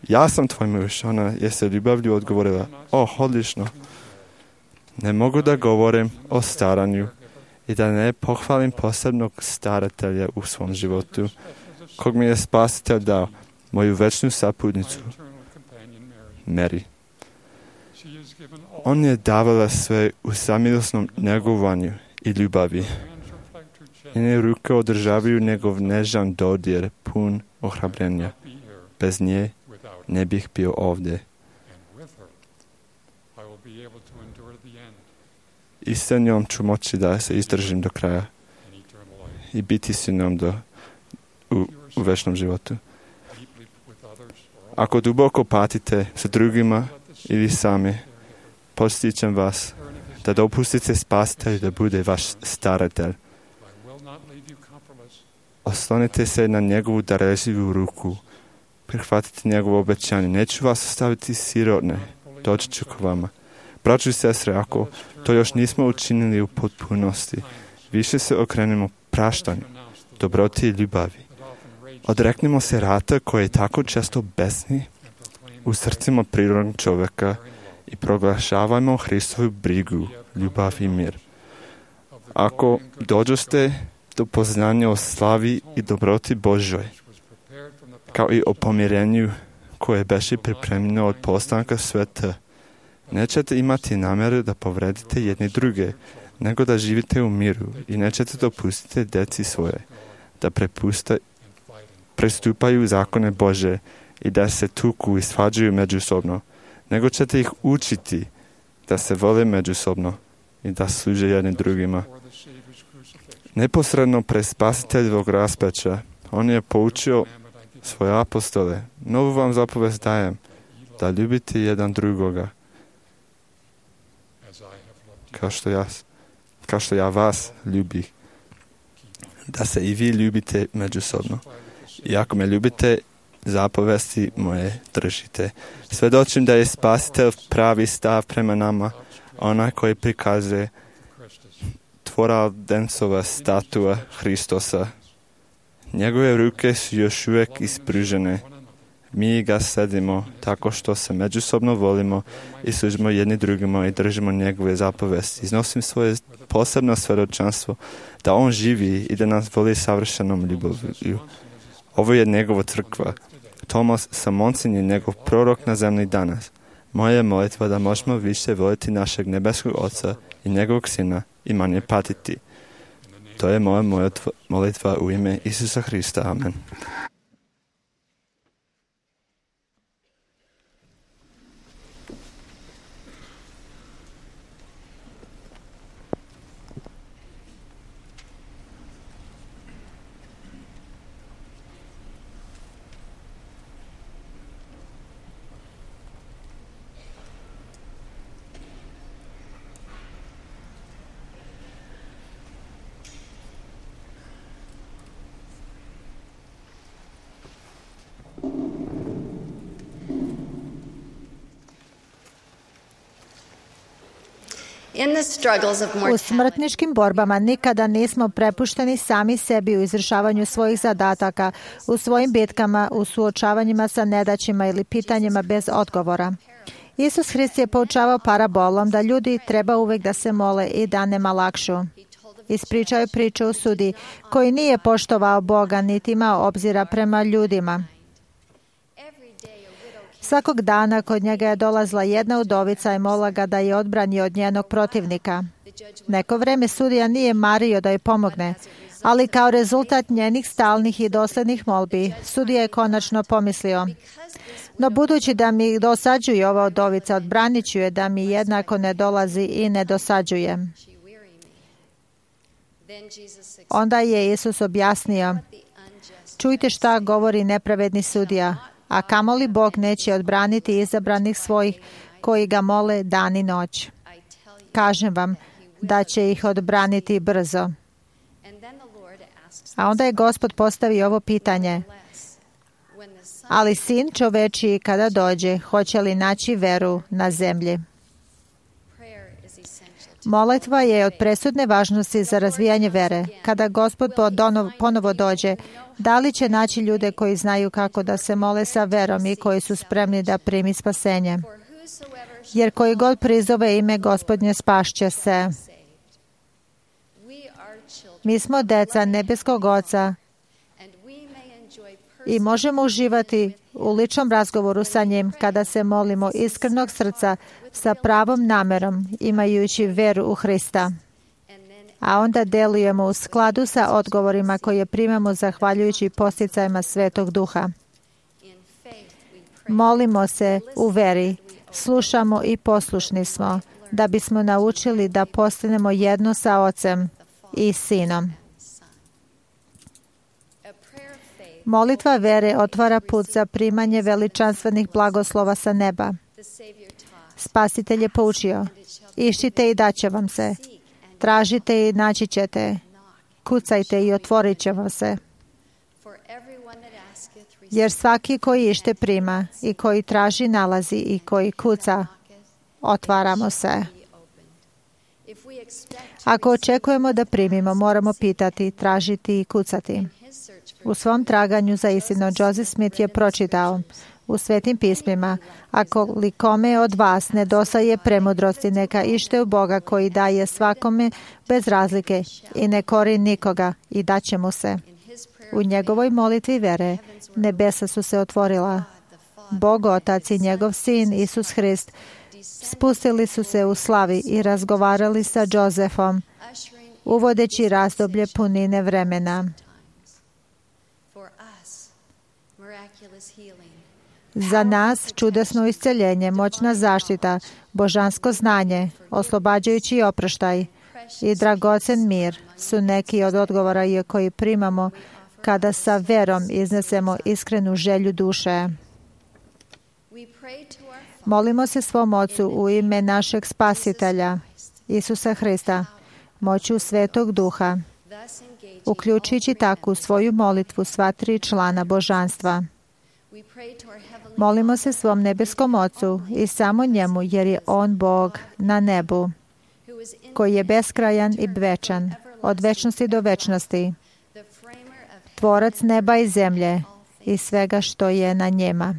ja sam tvoj muž. Ona je se ljubavlju odgovorila: o, odlično. Ne mogu da govorim o staranju i da ne pohvalim posebnog staratelja u svom životu, kog mi je Spasitelj dao, moju večnu saputnicu, Mary. On je davala sve u samilosnom njegovanju i ljubavi. Njene ruke održavaju njegov nežan dodir, pun ohrabrenja. Bez nje ne bih bio ovdje. I sa njom ću moći da se izdržim do kraja i biti s njom do, u, u večnom životu. Ako duboko patite sa drugima ili sami, postičem vas da dopustite Spasitelju da bude vaš staratelj. Oslonite se na njegovu darežljivu ruku. Prihvatite njegovo obećanje. Neću vas ostaviti sirotne. Doći ću k vama. Braćo i sestre, ako to još nismo učinili u potpunosti, više se okrenemo praštanju, dobroti i ljubavi. Odreknimo se rata koji je tako često besni u srcima prirodnog čovjeka i proglašavajmo Hristovu brigu, ljubav i mir. Ako dođoste do poznanja o slavi i dobroti Božoj, kao i o pomirenju koje beše pripremljeno od postanka sveta, nećete imati namjeru da povredite jedni druge, nego da živite u miru i nećete dopustiti deci svoje da prepusta, prestupaju zakone Bože i da se tuku i svađaju međusobno, nego ćete ih učiti da se vole međusobno i da služe jedni drugima. Neposredno pre Spasiteljevog raspeća on je poučio svoje apostole: novu vam zapovest dajem, da ljubite jedan drugoga kao što ja, kao što ja vas ljubih, da se i vi ljubite međusobno. I ako me ljubite, zapovesti moje držite. Svedočim da je Spasitelj pravi stav prema nama, onaj koji prikazuje tvoradencova statua Hristosa. Njegove ruke su još uvijek ispružene. Mi ga sledimo tako što se međusobno volimo i služimo jedni drugima i držimo njegove zapovesti. Iznosim svoje posebno svjedočanstvo da on živi i da nas voli savršenom ljubavlju. Ovo je njegova crkva. Tomas Samoncin je njegov prorok na zemlji danas. Moja je molitva da možemo više voliti našeg nebeskog Oca i njegovog Sina i manje patiti. To je moja molitva u ime Isusa Hrista. Amen. U smrtničkim borbama nikada nismo prepušteni sami sebi u izvršavanju svojih zadataka, u svojim bitkama, u suočavanjima sa nedaćima ili pitanjima bez odgovora. Isus Hrist je poučavao parabolom da ljudi treba uvijek da se mole i da nema lakšu. Ispričao je priču o sudi koji nije poštovao Boga niti imao obzira prema ljudima. Svakog dana kod njega je dolazila jedna udovica i molila ga da je odbrani od njenog protivnika. Neko vreme sudija nije mario da joj pomogne, ali kao rezultat njenih stalnih i doslednih molbi, sudija je konačno pomislio: no budući da mi dosađuje ova udovica, odbranit ću je da mi jednako ne dolazi i ne dosađuje. Onda je Isus objasnio: čujte šta govori nepravedni sudija, a kamoli Bog neće odbraniti izabranih svojih koji ga mole dan i noć. Kažem vam da će ih odbraniti brzo. A onda je Gospod postavio ovo pitanje: ali sin čovečiji kada dođe, hoće li naći veru na zemlji? Molitva je od presudne važnosti za razvijanje vere. Kada Gospod ponovo dođe, da li će naći ljude koji znaju kako da se mole sa verom i koji su spremni da primi spasenje? Jer koji god prizove ime Gospodnje, spašće se. Mi smo deca nebeskog Oca i možemo uživati u ličnom razgovoru sa njim kada se molimo iskrenog srca sa pravom namerom, imajući veru u Hrista. A onda delujemo u skladu sa odgovorima koje primamo zahvaljujući posticajima Svetog Duha. Molimo se u veri, slušamo i poslušni smo, da bismo naučili da postanemo jedno sa Ocem i Sinom. Molitva vere otvara put za primanje veličanstvenih blagoslova sa neba. Spasitelj je poučio: iščite i daće vam se, tražite i naći ćete, kucajte i otvorit će vam se. Jer svaki koji ište prima i koji traži nalazi i koji kuca, otvaramo se. Ako očekujemo da primimo, moramo pitati, tražiti i kucati. U svom traganju za istinu, Joseph Smith je pročitao u Svetim pismima: ako li kome od vas nedostaje premudrosti, neka ište u Boga koji daje svakome bez razlike i ne kori nikoga, i daće mu se. U njegovoj molitvi vere nebesa su se otvorila. Bog Otac i njegov Sin Isus Hrist spustili su se u slavi i razgovarali sa Josephom, uvodeći razdoblje punine vremena. Za nas čudesno isceljenje, moćna zaštita, božansko znanje, oslobađajući oproštaj i dragocen mir su neki od odgovora koji primamo kada sa verom iznesemo iskrenu želju duše. Molimo se svom Ocu u ime našeg Spasitelja, Isusa Hrista, moću Svetog Duha, uključujući takvu svoju molitvu sva tri člana božanstva. Molimo se svom nebeskom Ocu i samo njemu, jer je On Bog na nebu, koji je beskrajan i večan, od večnosti do večnosti, tvorac neba i zemlje i svega što je na njima.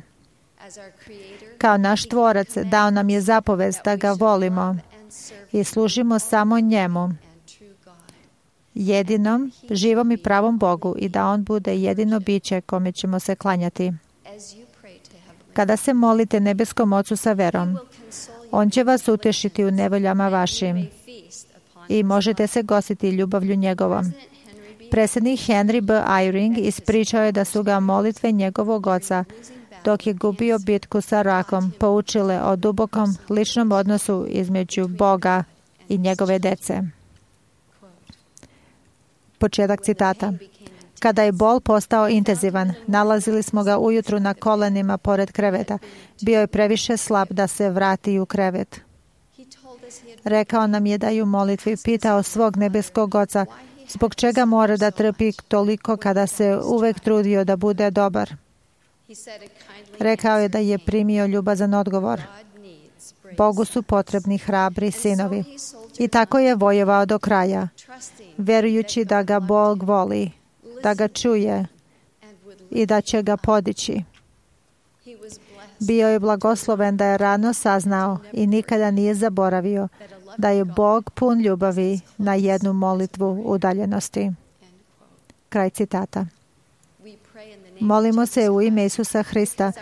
Kao naš tvorac dao nam je zapovest da ga volimo i služimo samo njemu, jedinom, živom i pravom Bogu, i da On bude jedino biće kome ćemo se klanjati. Kada se molite nebeskom Ocu sa verom, On će vas utešiti u nevoljama vašim i možete se gostiti ljubavlju njegovom. Predsjednik Henry B. Eyring ispričao je da su ga molitve njegovog oca, dok je gubio bitku sa rakom, poučile o dubokom ličnom odnosu između Boga i njegove dece. Početak citata. Kada je bol postao intenzivan, nalazili smo ga ujutru na kolenima pored kreveta. Bio je previše slab da se vrati u krevet. Rekao nam je da je u molitvi pitao svog nebeskog Oca zbog čega mora da trpi toliko kada se uvek trudio da bude dobar. Rekao je da je primio ljubazan odgovor. Bogu su potrebni hrabri sinovi. I tako je vojevao do kraja, verujući da ga Bog voli, da ga čuje i da će ga podići. Bio je blagosloven da je rano saznao i nikada nije zaboravio da je Bog pun ljubavi na jednu molitvu udaljenosti. Kraj citata. Molimo se u ime Isusa Hrista,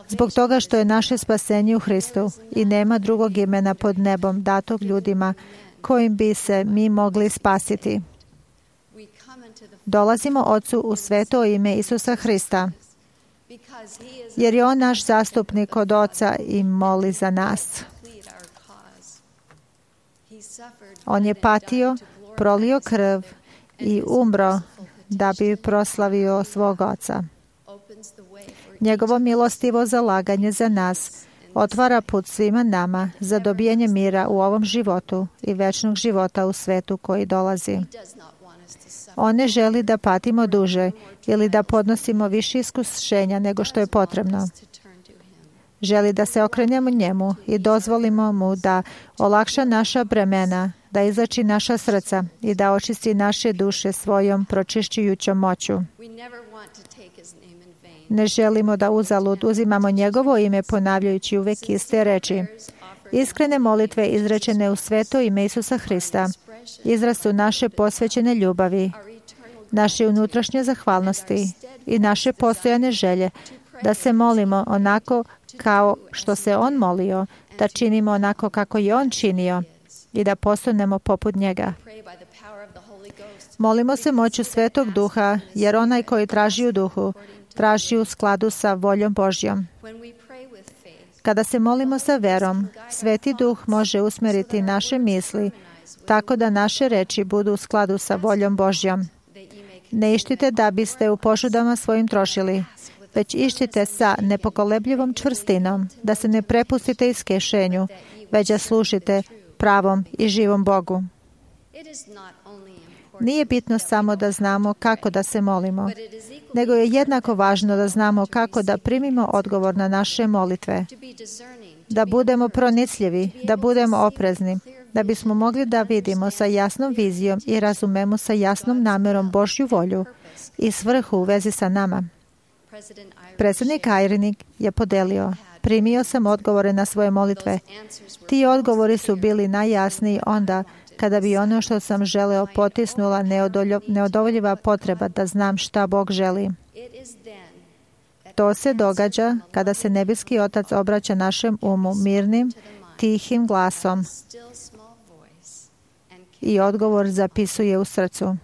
zbog toga što je naše spasenje u Hristu i nema drugog imena pod nebom datog ljudima kojim bi se mi mogli spasiti. Dolazimo Ocu u sveto ime Isusa Hrista, jer je On naš zastupnik kod Oca i moli za nas. On je patio, prolio krv i umro da bi proslavio svog Oca. Njegovo milostivo zalaganje za nas otvara put svima nama za dobijanje mira u ovom životu i večnog života u svetu koji dolazi. On ne želi da patimo duže ili da podnosimo više iskušenja nego što je potrebno. Želi da se okrenemo njemu i dozvolimo mu da olakša naša bremena, da izlači naša srca i da očisti naše duše svojom pročišćujućom moću. Ne želimo da uzalud uzimamo njegovo ime ponavljajući uvek iste reči. Iskrene molitve izrečene u sveto ime Isusa Hrista izraz su naše posvećene ljubavi, naše unutrašnje zahvalnosti i naše postojane želje da se molimo onako kao što se On molio, da činimo onako kako je On činio i da postanemo poput njega. Molimo se moću Svetog Duha, jer onaj koji traži u duhu, traži u skladu sa voljom Božjom. Kada se molimo sa verom, Sveti Duh može usmeriti naše misli tako da naše reči budu u skladu sa voljom Božjom. Ne ištite da biste u požudama svojim trošili, već ištite sa nepokolebljivom čvrstinom, da se ne prepustite iskešenju, već da slušite pravom i živom Bogu. Nije bitno samo da znamo kako da se molimo, nego je jednako važno da znamo kako da primimo odgovor na naše molitve, da budemo pronicljivi, da budemo oprezni, da bismo mogli da vidimo sa jasnom vizijom i razumemo sa jasnom namerom Božju volju i svrhu u vezi sa nama. Predsjednik Ajrinik je podelio: primio sam odgovore na svoje molitve. Ti odgovori su bili najjasniji onda kada bi ono što sam želeo potisnula neodoljiva potreba da znam šta Bog želi. To se događa kada se nebeski Otac obraća našem umu mirnim, tihim glasom i odgovor zapisuje u srcu.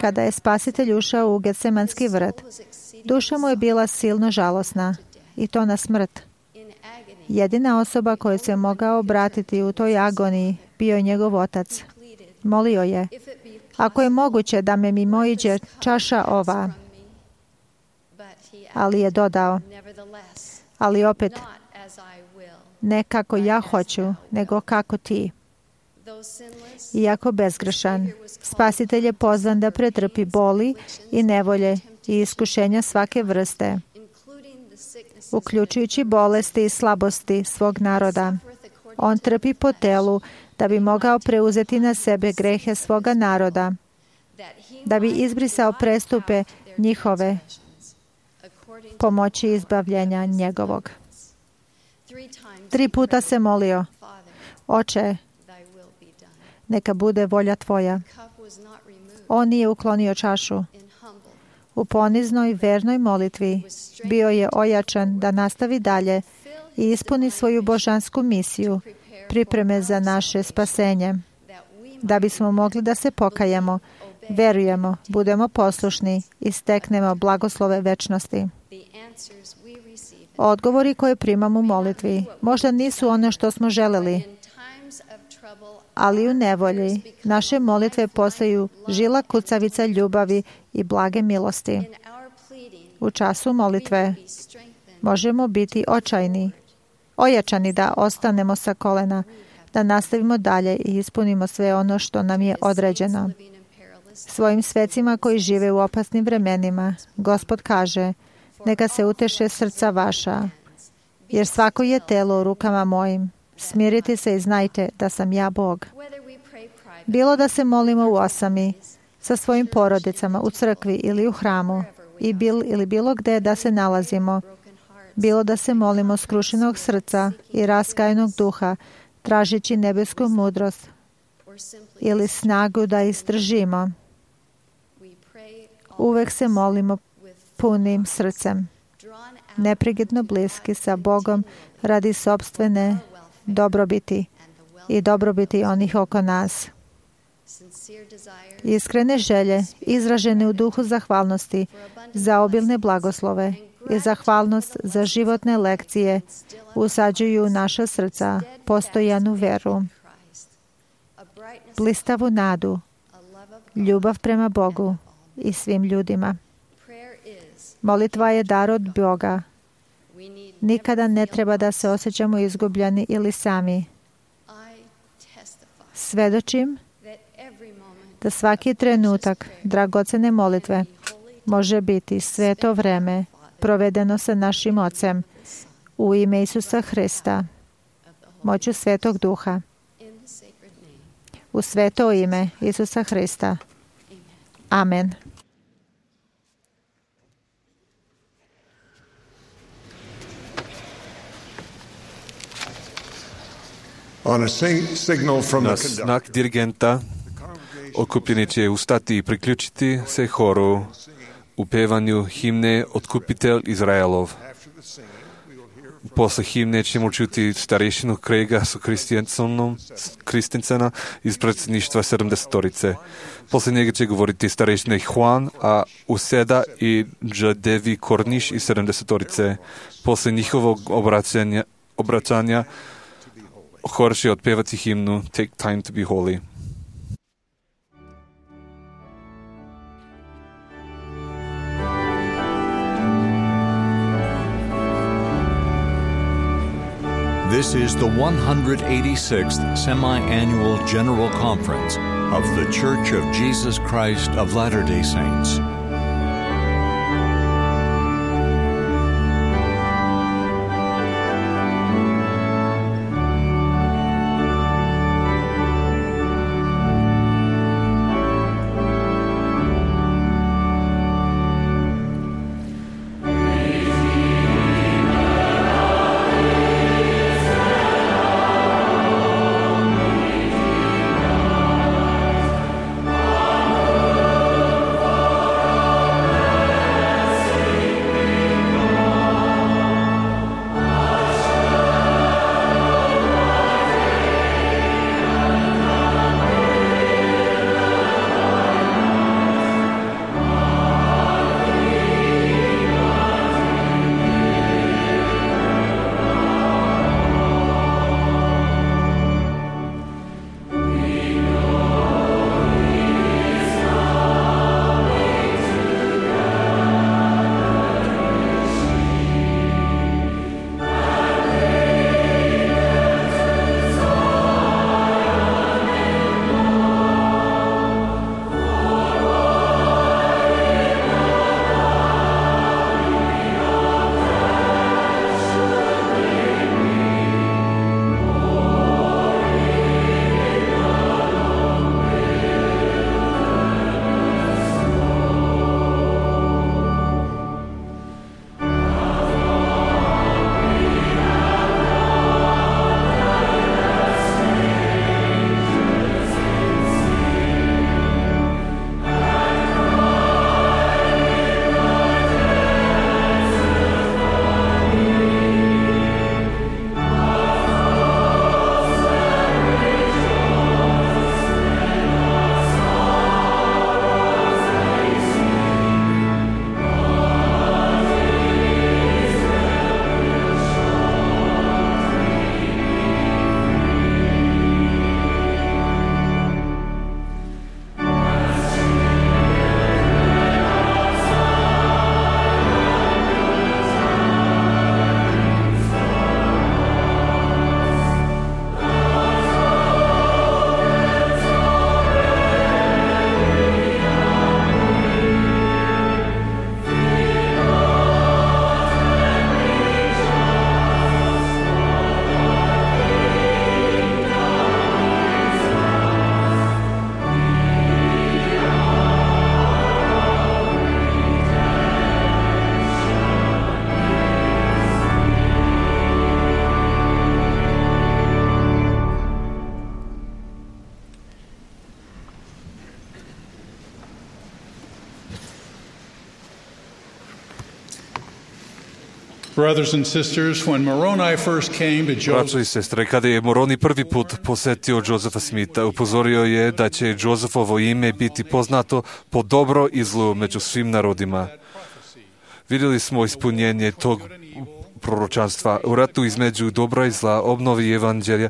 Kada je Spasitelj ušao u Getsemanski vrt, duša mu je bila silno žalosna, i to na smrt. Jedina osoba koju se mogao obratiti u toj agoniji bio je njegov Otac. Molio je: ako je moguće da me mimo iđe čaša ova. Ali je dodao: ali opet, ne kako ja hoću, nego kako ti. Iako bezgrešan, Spasitelj je pozvan da pretrpi boli i nevolje i iskušenja svake vrste, uključujući bolesti i slabosti svog naroda. On trpi po telu da bi mogao preuzeti na sebe grehe svoga naroda, da bi izbrisao prestupe njihove, pomoći izbavljenja njegovog. Tri puta se molio: Oče, neka bude volja tvoja. On nije uklonio čašu. U poniznoj, vernoj molitvi bio je ojačan da nastavi dalje i ispuni svoju božansku misiju, pripreme za naše spasenje, da bismo mogli da se pokajemo, verujemo, budemo poslušni i steknemo blagoslove večnosti. Odgovori koje primamo u molitvi možda nisu ono što smo želeli, ali u nevolji naše molitve postaju žila kucavica ljubavi i blage milosti. U času molitve možemo biti očajni, ojačani da ostanemo sa kolena, da nastavimo dalje i ispunimo sve ono što nam je određeno. Svojim svecima koji žive u opasnim vremenima, Gospod kaže: neka se uteše srca vaša, jer svako je telo u rukama mojim. Smirite se i znajte da sam ja Bog. Bilo da se molimo u osami, sa svojim porodicama, u crkvi ili u hramu, i bil, ili bilo gde da se nalazimo, bilo da se molimo skrušenog srca i raskajenog duha, tražeći nebesku mudrost ili snagu da izdržimo, uvek se molimo punim srcem, neprekidno bliski sa Bogom radi sopstvene dobrobiti i dobrobiti onih oko nas. Iskrene želje, izražene u duhu zahvalnosti za obilne blagoslove i zahvalnost za životne lekcije, usađuju u naša srca postojanu veru, blistavu nadu, ljubav prema Bogu i svim ljudima. Molitva je dar od Boga. Nikada ne treba da se osjećamo izgubljeni ili sami. Svedočim da svaki trenutak dragocene molitve može biti sveto vreme provedeno sa našim Ocem u ime Isusa Hrista, moću Svetog Duha. U sveto ime Isusa Hrista. Amen. Na znak dirigenta okupljeni će ustati i priključiti se horu u pevanju himne Otkupitelj Izraelov. Posle himne ćemo čuti starešinu Craiga su Kristensena iz predsjedništva sedamdesetorice. Posle njega će govoriti starešina Juan a Useda i Džadevi Korniš iz sedamdesetorice. Posle njihovog obraćanja, obraćanja hor će otpevati himnu Take Time to be Holy. This is the one hundred eighty-sixth Semi-Annual General Conference of The Church of Jesus Christ of Latter-day Saints. Brothers and sisters, when Moroni first came to Braćo Joseph, i sestre, kada je Moroni prvi put posetio Josefa Smitha, upozorio je da će Josefovo ime biti poznato po dobro i zlu među svim narodima. Vidjeli smo ispunjenje tog proročanstva. U ratu između dobra i zla obnovi evanđelja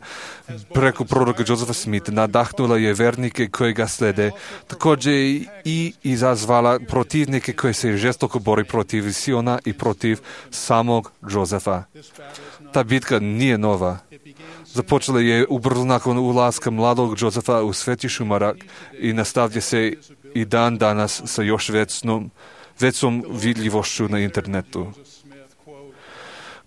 preko proroka Josefa Smitha nadahnula je vernike koji ga slede, također i izazvala protivnike koji se žestoko bori protiv Siona i protiv samog Josefa. Ta bitka nije nova. Započela je ubrzo nakon ulaska mladog Josefa u Sveti Šumarak i nastavlja se i dan danas sa još većnom, većom vidljivošću na internetu.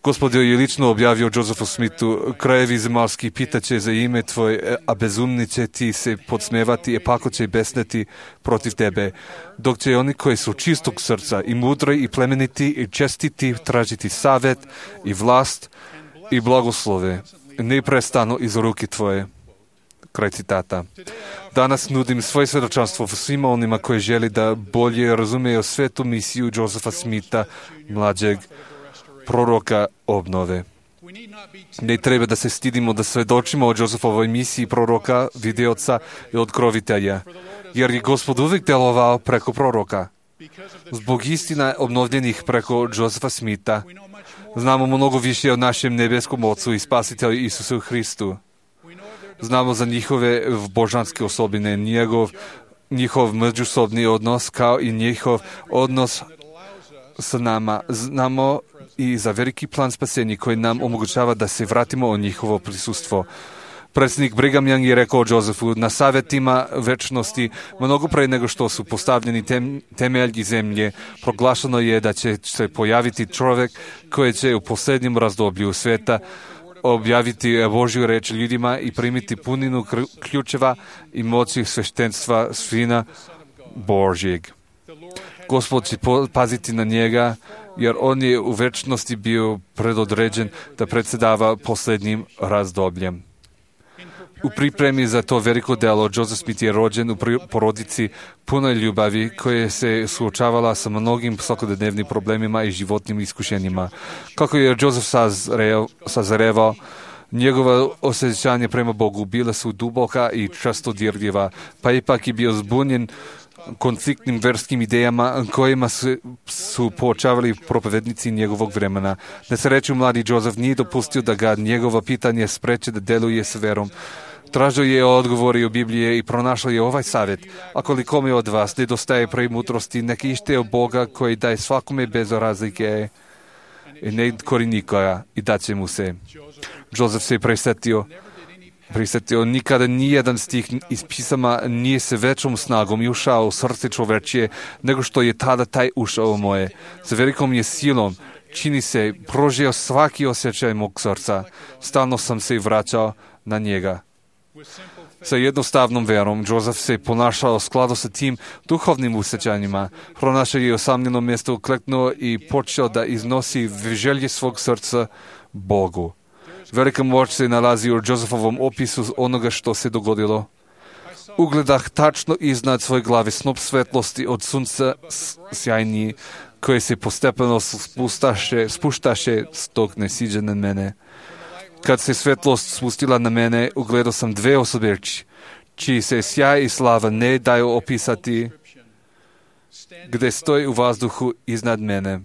Gospod je lično objavio Josefu Smithu: krajevi zemaljski pitaće za ime tvoje, a bezumni će ti se podsmevati, e pako će besneti protiv tebe, dok će oni koji su čistog srca i mudri i plemeniti i čestiti tražiti savjet i vlast i blagoslove neprestano iz ruke tvoje. Kraj citata. Danas nudim svoje svjedočanstvo svima onima koji želi da bolje razumeju svetu misiju Josefa Smitha, mlađeg proroka obnove. Ne treba da se stidimo da svedočimo o Josefovoj misiji proroka, vidioca i otkrovitelja, jer je Gospod uvijek delovao preko proroka. Zbog istina obnovljenih preko Josefa Smitha znamo mnogo više o našem nebeskom Ocu i Spasitelju Isusu Hristu. Znamo za njihove božanske osobine, njegov, njihov međusobni odnos, kao i njihov odnos sa nama. Znamo i za veliki plan spasenja koji nam omogućava da se vratimo u njihovo prisustvo. Predsjednik Brigham Young je rekao Josefu, na savjetima večnosti, mnogo pre nego što su postavljeni tem, temelji zemlje, proglašeno je da će se pojaviti čovjek koji će u posljednjem razdoblju sveta objaviti Božju reč ljudima i primiti puninu ključeva i moći sveštenstva svina Božjeg. Gospod će paziti na njega, jer on je u večnosti bio predodređen da predsjedava posljednjim razdobljem. U pripremi za to veliko delo, Joseph Smith je rođen u porodici punoj ljubavi koja se suočavala sa mnogim svakodnevnim problemima i životnim iskušenjima. Kako je Joseph sazreo, sazrevao, njegova osjećanja prema Bogu bila su duboka i često dirljiva, pa ipak je bio zbunjen konfliktnim verskim idejama kojima su, su poočavali propovednici njegovog vremena. Na sreću, mladi Joseph nije dopustio da ga njegova pitanje spreče da deluje s verom. Tražio je odgovori u Biblije i pronašao je ovaj savjet. Ako li kome od vas nedostaje premudrosti, neka ište od Boga koji daje svakome bez razlike i ne kori nikoga i daće mu se. Joseph se prisetio Prisetio, nikada nijedan stih iz pisama nije se većom snagom i ušao u srce čovečije nego što je tada taj ušao u moje. Sa velikom je silom, čini se, prožio svaki osjećaj mog srca. Stalno sam se vraćao na njega. Sa jednostavnom verom, Joseph se ponašao u skladu sa tim duhovnim osjećanjima. Pronašao je osamljeno mjesto, ukleknuo i počeo da iznosi želje svog srca Bogu. Velika moć se nalazi u Josephovom opisu onoga što se dogodilo. Ugledah tačno iznad svoje glave snop svetlosti od sunca sjajniji, koje se postepeno spustaše, spuštaše dok ne siđe na mene. Kad se svetlost spustila na mene, ugledao sam dve osobe, čiji se sjaj i slava ne daju opisati, gde stoji u vazduhu iznad mene.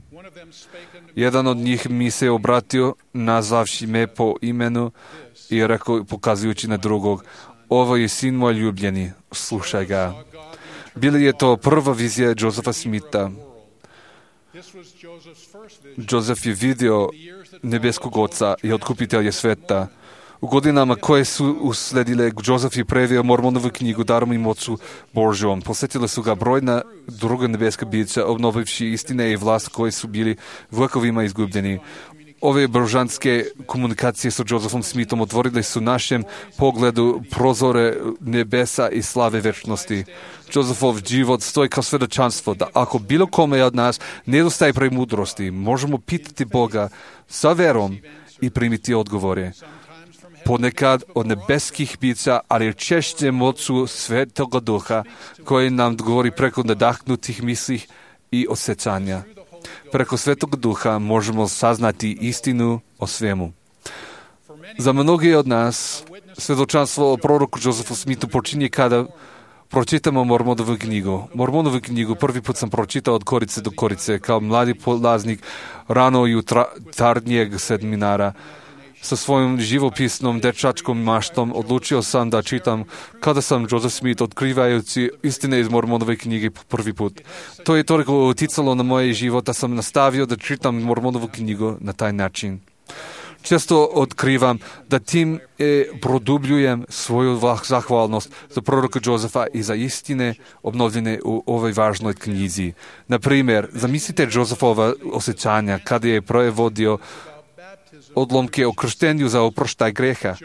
Jedan od njih mi se obratio, nazvavši me po imenu i rekao, pokazujući na drugog, ovo je sin moj ljubljeni, slušaj ga. Bila je to prva vizija Josepha Smitha. Joseph je vidio nebeskog oca i otkupitelja sveta. U godinama koje su usledile, Joseph je preveo Mormonovu knjigu Darom i moću Božjom. Posjetile su ga brojna druga nebeska bića, obnovivši istine i vlast koji su bili vekovima izgubljeni. Ove božanske komunikacije sa Josephom Smithom otvorile su našem pogledu prozore nebesa i slave večnosti. Josephov život stoji kao svedočanstvo da ako bilo kome od nas nedostaje premudrosti, možemo pitati Boga sa verom i primiti odgovore. Ponekad od nebeskih bića, ali češće moću Svetoga Duha, koji nam govori preko nadahnutih misli i osjećanja. Preko Svetog Duha možemo saznati istinu o svemu. Za mnogi od nas svjedočanstvo o proroku Josephu Smithu počinje kada pročitamo Mormonovu knjigu. Mormonovu knjigu prvi put sam pročitao od korice do korice kao mladi polaznik rano jutarnjeg seminara. Sa svojom živopisnom dečačkom maštom odlučio sam da čitam kada sam Joseph Smith otkrivajući istine iz Mormonove knjige prvi put. To je toliko uticalo na moje život da sam nastavio da čitam Mormonovu knjigu na taj način. Često otkrivam da tim e, produbljujem svoju zahvalnost za proroka Josefa i za istine obnovljene u ovoj važnoj knjizi. Na primjer, zamislite Josephova osjećanja kada je prevodio odlomke o krštenju za oproštaj greha.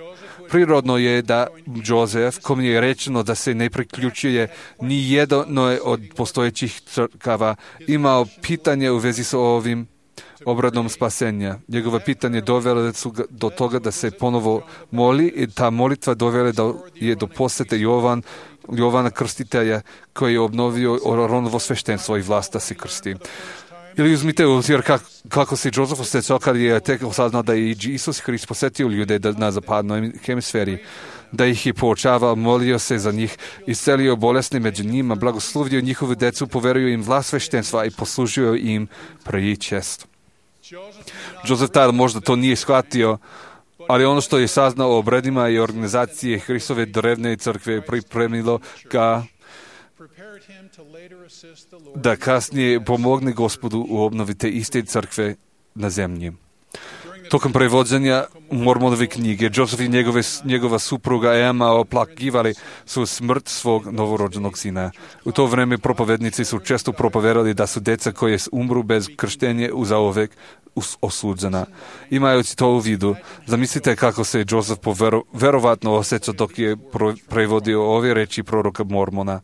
Prirodno je da Joseph, kom je rečeno da se ne priključuje ni jednoj od postojećih crkava, imao pitanje u vezi sa ovim obradom spasenja. Njegova pitanje dovele su do toga da se ponovo moli i ta molitva dovele da je do posete Jovan, Jovana Krstitelja koji je obnovio Oronovo sveštenstvo i vlast da se krsti. Ili uzmite u obzir kako, kako se Joseph osjećao kad je tek saznao da je Isus Hrist posjetio ljude na zapadnoj hemisferi, da ih je poučavao, molio se za njih, iscelio bolesne među njima, blagoslovio njihovu decu, poverio im vlast sveštenstva i poslužio im prvi čest. Joseph tada možda to nije shvatio, ali ono što je saznao o obredima i organizacije Hristove drevne crkve pripremilo ga da kasnije pomogne Gospodu u obnovi te iste crkve na zemlji. Tokom prevođenja Mormonove knjige, Joseph i njegove, njegova supruga Emma oplakivali su smrt svog novorođenog sina. U to vreme propovednici su često propovedali da su deca koje umru bez krštenja zauvek osuđena. Imajući to u vidu, zamislite kako se Joseph povero, verovatno osjećao dok je pro, prevodio ove reči proroka Mormona.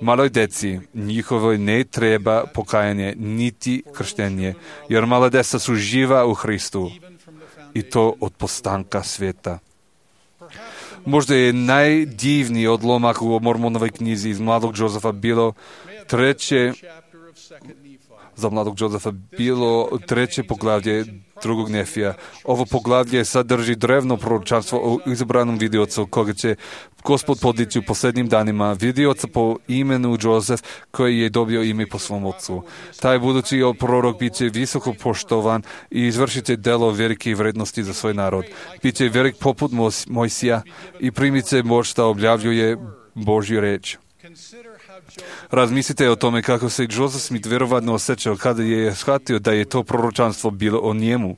Maloj deci njihovoj ne treba pokajanje niti krštenje, jer mala deca su živa u Hristu i to od postanka svijeta. Možda je najdivniji odlomak u Mormonovoj knjizi iz mladog Josefa bilo treće za mladog Josefa bilo treće poglavlje drugog Nefija. Ovo poglavlje sadrži drevno proročanstvo o izabranom vidiocu koga će Gospod podići u posljednjim danima, vidioca po imenu Josef koji je dobio ime po svom ocu. Taj budući prorok bit će visoko poštovan i izvršit će delo velike vrednosti za svoj narod. Bit će velik poput Mojsija i primit će moć da objavljuje Božju reč. Razmislite o tome kako se Joseph Smith vjerovatno osjećao kada je shvatio da je to proročanstvo bilo o njemu.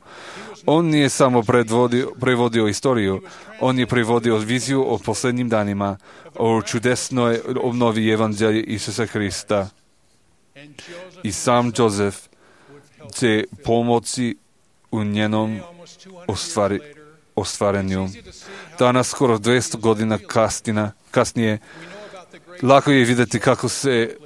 On nije samo predvodio, prevodio istoriju, on je prevodio viziju o posljednjim danima, o čudesnoj obnovi evanđelja Isusa Hrista. I sam Joseph će pomoći u njenom ostvari, ostvarenju. Danas, skoro dvjesto godina kastina, kasnije, lako je vidjeti kako se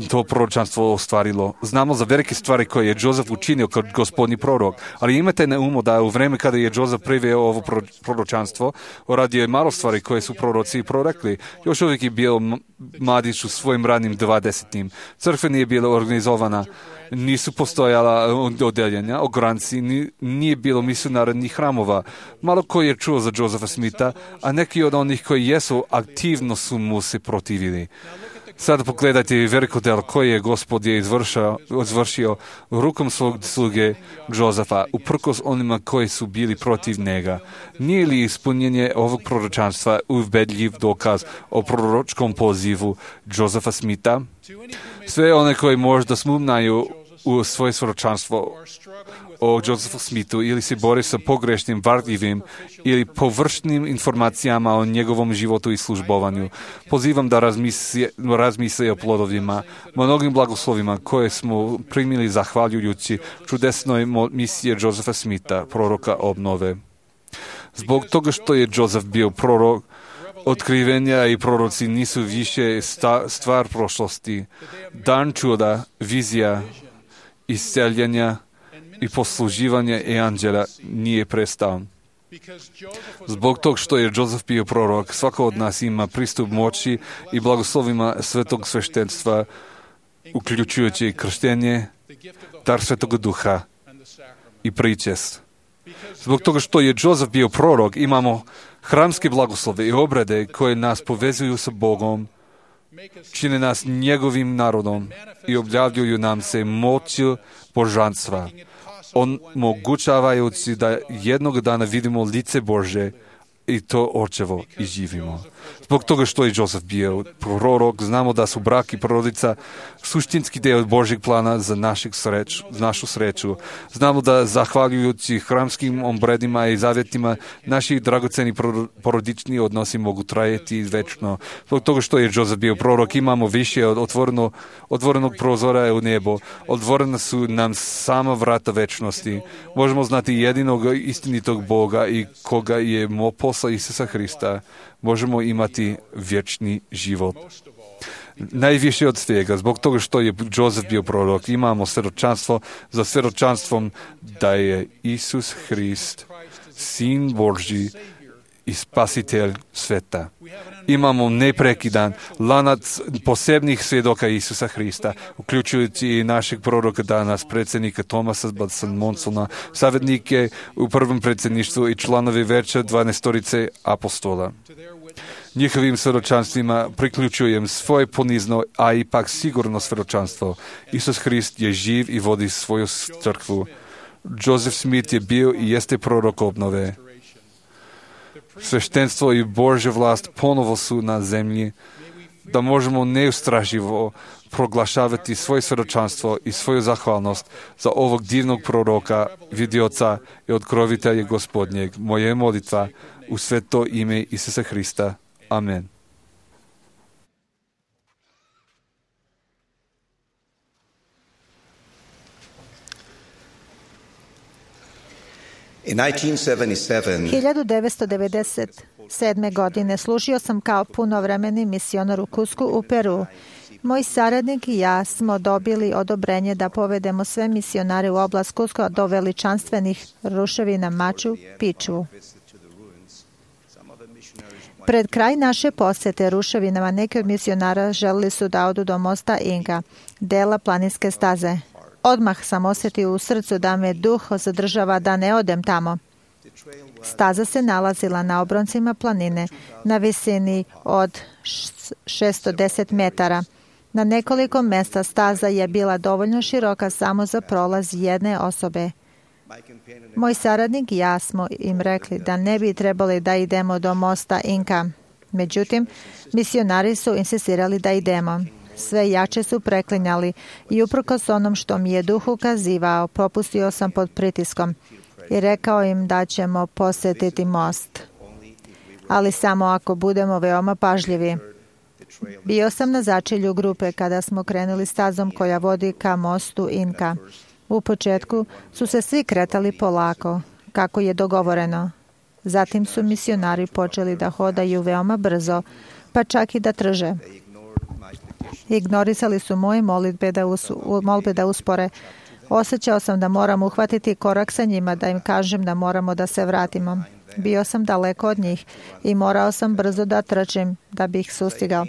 to proročanstvo ostvarilo. Znamo za velike stvari koje je Joseph učinio kao gospodnji prorok, ali imate na umu da u vreme kada je Joseph priveo ovo proročanstvo, radio je malo stvari koje su proroci i prorekli. Još uvijek je bio mladić u svojim ranim dvadesetim. Crkva nije bila organizovana, nisu postojala odeljenja, ogranci, nije bilo misionarnih hramova. Malo ko je čuo za Josepha Smitha, a neki od onih koji jesu aktivno su mu se protivili. Sada pogledajte veliko delo koje je Gospod je izvršio, izvršio rukom svog sluge Josefa, uprkos onima koji su bili protiv njega. Nije li ispunjenje ovog proročanstva ubedljiv dokaz o proročkom pozivu Josepha Smitha? Sve one koji možda smumnaju u svoje proročanstvo o Josephu Smithu ili se bori sa pogrešnim, varljivim ili površnim informacijama o njegovom životu i službovanju. Pozivam da razmisle, razmisle o plodovima, mnogim blagoslovima koje smo primili zahvaljujući čudesnoj misiji Josepha Smitha, proroka obnove. Zbog toga što je Joseph bio prorok, otkrivenja i proroci nisu više sta, stvar prošlosti. Dan čuda, vizija, isceljenja i posluživanje evanđelja nije prestao. Zbog tog što je Joseph bio prorok, svako od nas ima pristup moći i blagoslovima svetog sveštenstva, uključujući krštenje, dar Svetog Duha i pričest. Zbog toga što je Joseph bio prorok, imamo hramske blagoslove i obrede koje nas povezuju sa Bogom, čine nas njegovim narodom i objavljuju nam se moću božanstva, omogućavajući da jednog dana vidimo lice Bože i to očevo i živimo. Zbog toga što je Joseph bio prorok, znamo da su brak i porodica suštinski deo Božjeg plana za našeg sreću, našu sreću. Znamo da zahvaljujući hramskim obredima i zavjetima naši dragoceni porodični odnosi mogu trajati večno. Zbog toga što je Joseph bio prorok, imamo više od otvoreno, otvorenog prozora u nebo. Otvorena su nam sama vrata večnosti. Možemo znati jedinog istinitog Boga i koga je mo posla Isusa Hrista. Možemo imati vječni život. Najviše od svega, zbog toga što je Joseph bio prorok, imamo svjedočanstvo za svjedočanstvom da je Isus Hrist, Sin Božji i Spasitelj sveta. Imamo neprekidan lanac posebnih svjedoka Isusa Hrista, uključujući i našeg proroka danas, predsjednika Thomasa Monsona, savjetnike u prvom predsjedništvu i članovi veća dvanaestorice apostola. Njihovim svjedočanstvima priključujem svoje ponizno, a ipak sigurno svjedočanstvo. Isus Hrist je živ i vodi svoju crkvu. Joseph Smith je bio i jeste prorok obnove. Sveštenstvo i Božja vlast ponovo su na zemlji. da možemo neustraživo proglašavati svoje svjedočanstvo i svoju zahvalnost za ovog divnog proroka, vidioca i otkrovitelja Gospodnjeg. Moja je molitva u sveto ime Isusa Hrista. Amen. hiljadu devetsto devedeset sedme. godine služio sam kao punovremeni misionar u Cuscu u Peru. Moj saradnik i ja smo dobili odobrenje da povedemo sve misionare u oblast Cusco do veličanstvenih ruševina Machu Picchu. Pred kraj naše posete ruševinama neki od misionara želili su da odu do mosta Inka, dela planinske staze. Odmah sam osjetio u srcu da me duh zadržava da ne odem tamo. Staza se nalazila na obroncima planine, na visini od šesto deset metara. Na nekoliko mjesta staza je bila dovoljno široka samo za prolaz jedne osobe. Moj saradnik i ja smo im rekli da ne bi trebali da idemo do mosta Inka. Međutim, misionari su insistirali da idemo. Sve jače su preklinjali i uprkos onom što mi je duh ukazivao, popustio sam pod pritiskom i rekao im da ćemo posjetiti most. Ali samo ako budemo veoma pažljivi. Bio sam na začelju grupe kada smo krenuli stazom koja vodi ka mostu Inka. U početku su se svi kretali polako, kako je dogovoreno. Zatim su misionari počeli da hodaju veoma brzo, pa čak i da trže. Ignorisali su moje molitbe da, us, molbe da uspore. Osjećao sam da moram uhvatiti korak sa njima, da im kažem da moramo da se vratimo. Bio sam daleko od njih i morao sam brzo da trčim da bih ih sustigao.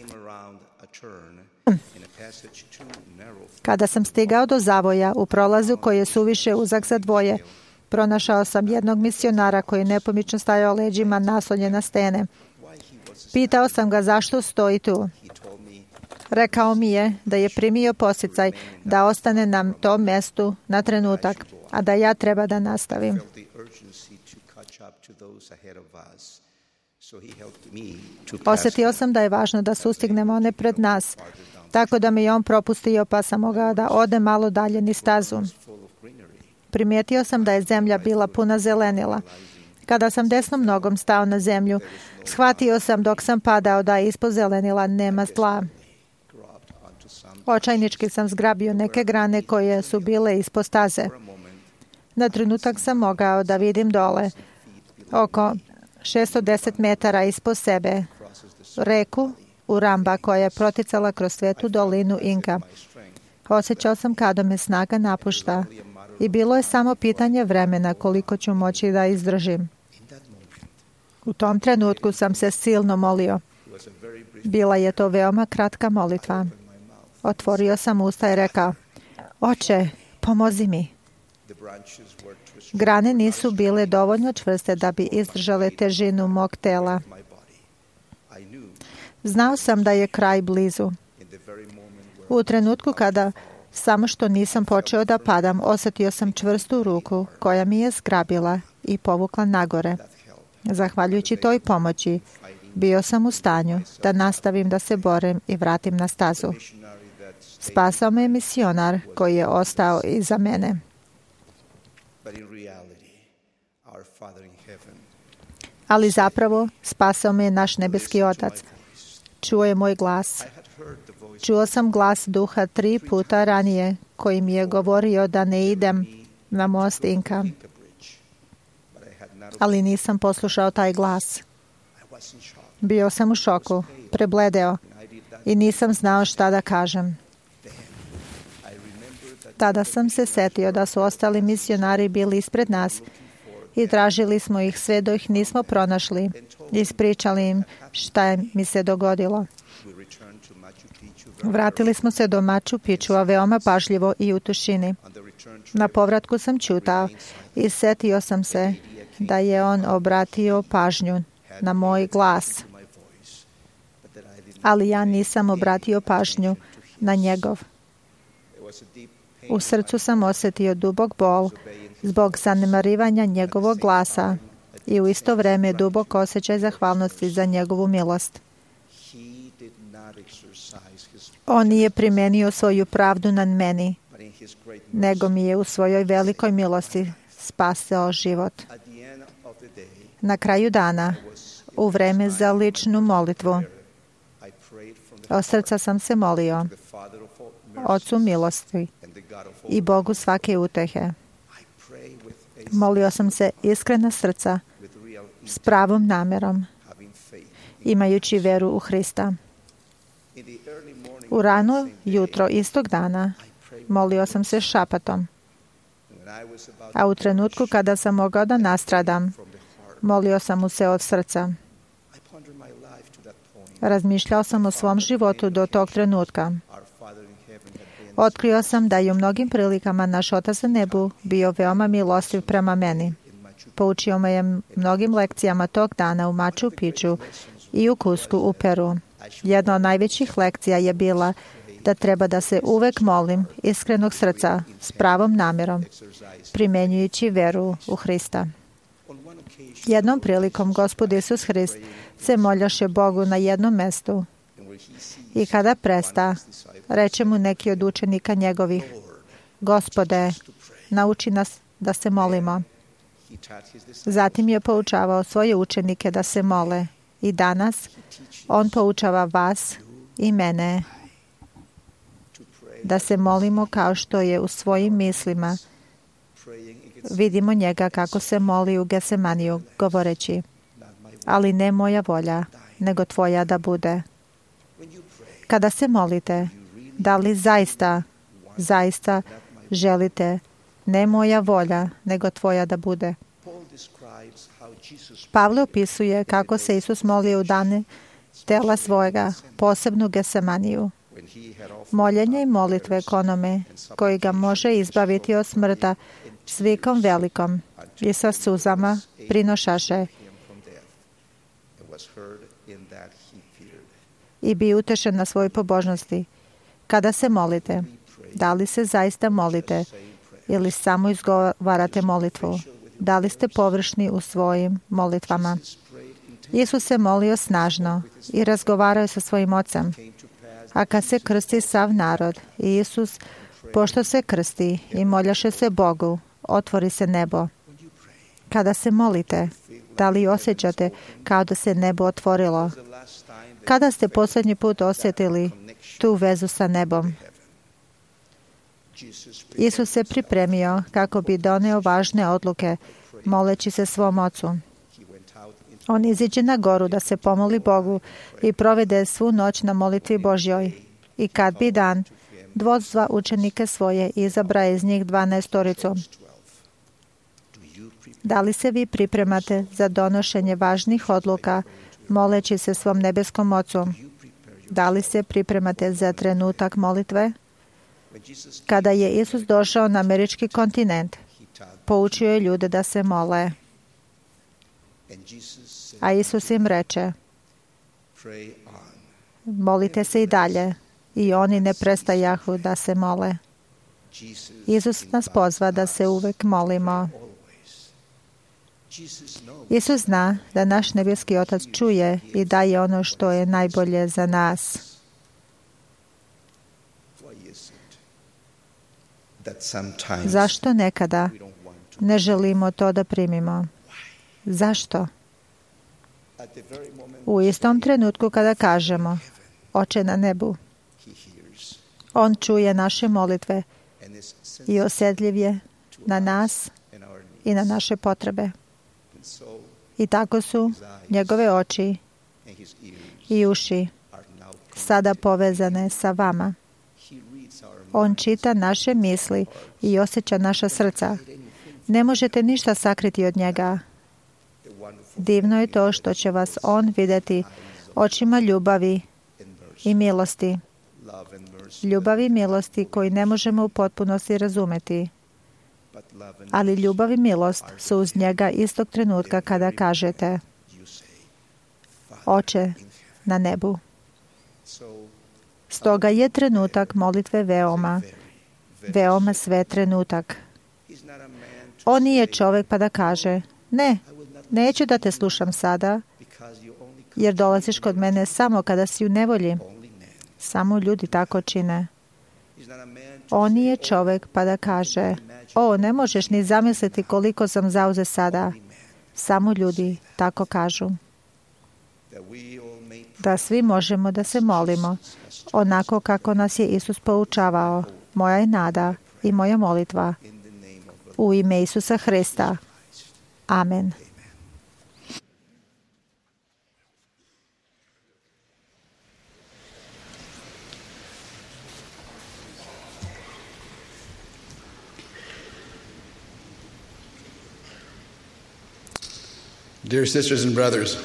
Kada sam stigao do zavoja u prolazu koji je suviše uzak za dvoje, pronašao sam jednog misionara koji je nepomično stajao leđima naslonjen na stene. Pitao sam ga zašto stoji tu. Rekao mi je da je primio posticaj da ostane na tom mjestu na trenutak, a da ja treba da nastavim. Osjetio sam da je važno da sustignemo one pred nas, tako da me je on propustio pa sam mogao da ode malo dalje niz stazu. Primijetio sam da je zemlja bila puna zelenila. Kada sam desnom nogom stao na zemlju, shvatio sam dok sam padao da ispod zelenila nema tla. Očajnički sam zgrabio neke grane koje su bile ispod staze. Na trenutak sam mogao da vidim dole, oko šesto deset metara ispod sebe, reku Uramba koja je proticala kroz svetu dolinu Inka. Osjećao sam kada me snaga napušta i bilo je samo pitanje vremena koliko ću moći da izdržim. U tom trenutku sam se silno molio. Bila je to veoma kratka molitva. Otvorio sam usta i rekao, Oče, pomozi mi. Grane nisu bile dovoljno čvrste da bi izdržale težinu mog tela. Znao sam da je kraj blizu. U trenutku kada samo što nisam počeo da padam, osjetio sam čvrstu ruku koja mi je zgrabila i povukla nagore. Zahvaljujući toj pomoći, bio sam u stanju da nastavim da se borim i vratim na stazu. Spasao me misionar koji je ostao iza mene. Ali zapravo spasao me naš nebeski Otac. Čuo je moj glas. Čuo sam glas duha tri puta ranije koji mi je govorio da ne idem na most Inka. Ali nisam poslušao taj glas. Bio sam u šoku, prebledeo i nisam znao šta da kažem. Tada sam se setio da su ostali misionari bili ispred nas i tražili smo ih sve dok ih nismo pronašli. Ispričali im šta mi se dogodilo. Vratili smo se do Machu Picchua veoma pažljivo i u tišini. Na povratku sam ćutao i setio sam se da je on obratio pažnju na moj glas. Ali ja nisam obratio pažnju na njegov. U srcu sam osjetio dubok bol zbog zanemarivanja njegovog glasa i u isto vrijeme dubok osjećaj zahvalnosti za njegovu milost. On nije primenio svoju pravdu nad meni, nego mi je u svojoj velikoj milosti spasao život. Na kraju dana, u vreme za ličnu molitvu, od srca sam se molio Ocu milosti i Bogu svake utehe. Molio sam se iskrena srca, s pravom namerom, imajući veru u Hrista. U rano jutro istog dana molio sam se šapatom, a u trenutku kada sam mogao da nastradam, molio sam mu se od srca. Razmišljao sam o svom životu do tog trenutka. Otkrio sam da je u mnogim prilikama naš Otac na nebu bio veoma milostiv prema meni. Poučio me je mnogim lekcijama tog dana u Machu Picchu i u Cuscu u Peru. Jedna od najvećih lekcija je bila da treba da se uvek molim iskrenog srca s pravom namjerom, primenjujući veru u Hrista. Jednom prilikom Gospod Isus Hrist se moljaše Bogu na jednom mestu i kada presta, reče mu neki od učenika njegovih: Gospode, nauči nas da se molimo. Zatim je poučavao svoje učenike da se mole i danas on poučava vas i mene da se molimo kao što je u svojim mislima. Vidimo njega kako se moli u Gesemaniju, govoreći: ali ne moja volja, nego tvoja da bude. Kada se molite, da li zaista, zaista želite ne moja volja, nego tvoja da bude? Pavle opisuje kako se Isus molio u dane tela svojega, posebno Gesemaniju. Moljenje i molitve k onome koji ga može izbaviti od smrta s vikom velikom i sa suzama prinošaše i bi utešen na svojoj pobožnosti. Kada se molite, da li se zaista molite ili samo izgovarate molitvu? Da li ste površni u svojim molitvama? Isus se molio snažno i razgovarao sa svojim Ocem. A kad se krsti sav narod i Isus, pošto se krsti i moljaše se Bogu, otvori se nebo. Kada se molite, da li osjećate kao da se nebo otvorilo? Kada ste posljednji put osjetili tu vezu sa nebom? Isus se pripremio kako bi doneo važne odluke, moleći se svom Ocu. On iziđe na goru da se pomoli Bogu i provede svu noć na molitvi Božjoj. I kad bi dan, dvozva učenike svoje i izabra iz njih dvanaestoricu. Da li se vi pripremate za donošenje važnih odluka, moleći se svom nebeskom Ocu? Da li se pripremate za trenutak molitve? Kada je Isus došao na američki kontinent, poučio je ljude da se mole. A Isus im reče: molite se i dalje. I oni ne prestajahu da se mole. Isus nas pozva da se uvek molimo. Isus zna da naš nebeski Otac čuje i daje ono što je najbolje za nas. Zašto nekada ne želimo to da primimo? Zašto? U istom trenutku kada kažemo: Oče na nebu, On čuje naše molitve i osjetljiv je na nas i na naše potrebe. I tako su njegove oči i uši sada povezane sa vama. On čita naše misli i osjeća naša srca. Ne možete ništa sakriti od njega. Divno je to što će vas on vidjeti očima ljubavi i milosti. Ljubav i milosti koji ne možemo u potpunosti razumeti. Ali ljubav i milost su uz njega istog trenutka kada kažete: Oče na nebu. Stoga je trenutak molitve veoma, veoma sve trenutak. On nije čovjek pa da kaže: ne, neću da te slušam sada, jer dolaziš kod mene samo kada si u nevolji. Samo ljudi tako čine. On nije čovjek pa da kaže, o, ne možeš ni zamisliti koliko sam zauzet sada. Samo ljudi tako kažu. Da svi možemo da se molimo onako kako nas je Isus poučavao. Moja je nada i moja molitva u ime Isusa Hrista. Amen. Dear sisters and brothers,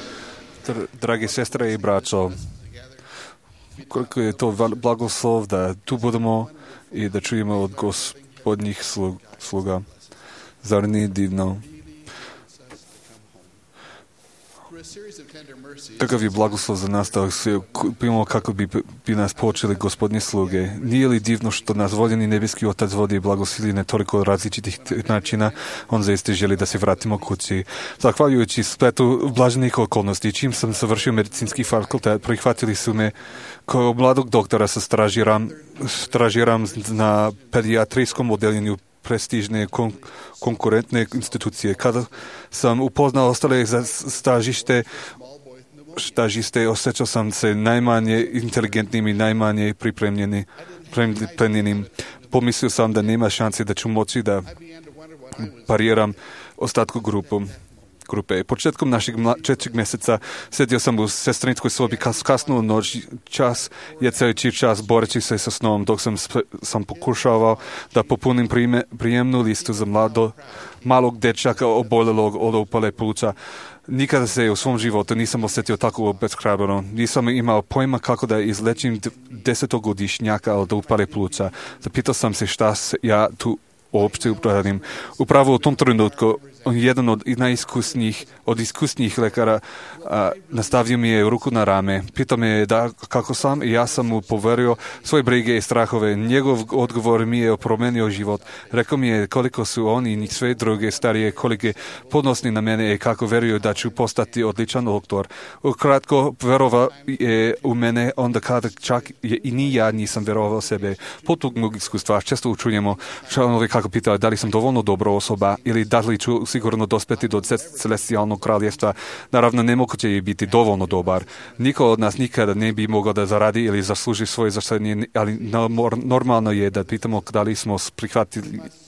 Dragi sestre i braćo, koliko je to blagoslov da tu budemo i da čujemo od Gospodnjih sluga. Zar nije divno? Kakav je blagoslov za nas da se primamo kako bi, bi nas počeli Gospodnje sluge. Nije li divno što nas voljeni nebeski Otac vodi i blagosili na toliko različitih načina, on zaista želi da se vratimo kući. Zahvaljujući spletu blaženih okolnosti, čim sam završio medicinski fakultet, prihvatili su me kao mladog doktora sa stražiram, stražiram na pedijatrijskom odeljenju prestižne kon, konkurentne institucije. Kada sam upoznao ostale za stažište, stažiste, osjećao sam se najmanje inteligentnim i najmanje pripremljeni, pripremljenim. Pomislio sam da nema šanse da ću moći da pariram ostatku grupu. grupe. Početkom našeg četvrtog mjeseca sedio sam u sestrinskoj sobi kas, kasno u noć, čas je cijeli čas boreći se sa snom, dok sam, sam pokušavao da popunim prijeme, prijemnu listu za mlado, malog dečaka oboljelog od upale pluća. Nikada se u svom životu nisam osjetio tako obeshrabreno. Nisam imao pojma kako da izlečim desetogodišnjaka od upale pluća. Zapitao sam se šta ja tu uopšte radim. Upravo u tom trenutku on jedan od najiskusnijih, od iskusnijih lekara a, nastavio mi je ruku na rame. Pitao me je da kako sam i ja sam mu poverio svoje brige i strahove. Njegov odgovor mi je promenio život. Rekao mi je koliko su oni i sve druge starije kolege podnosni na mene i kako veruju da ću postati odličan doktor. Ukratko, verovao je u mene onda kada čak je i ni ja nisam verovao sebe. Potog mog iskustva često učujemo članovi kako pitao da li sam dovoljno dobra osoba ili da li ću sigurno dospeti do celestijalnog kraljevstva. Naravno, nemoguće je biti dovoljno dobar. Niko od nas nikada ne bi mogao da zaradi ili zasluži svoje zaštenje, ali normalno je da pitamo da li smo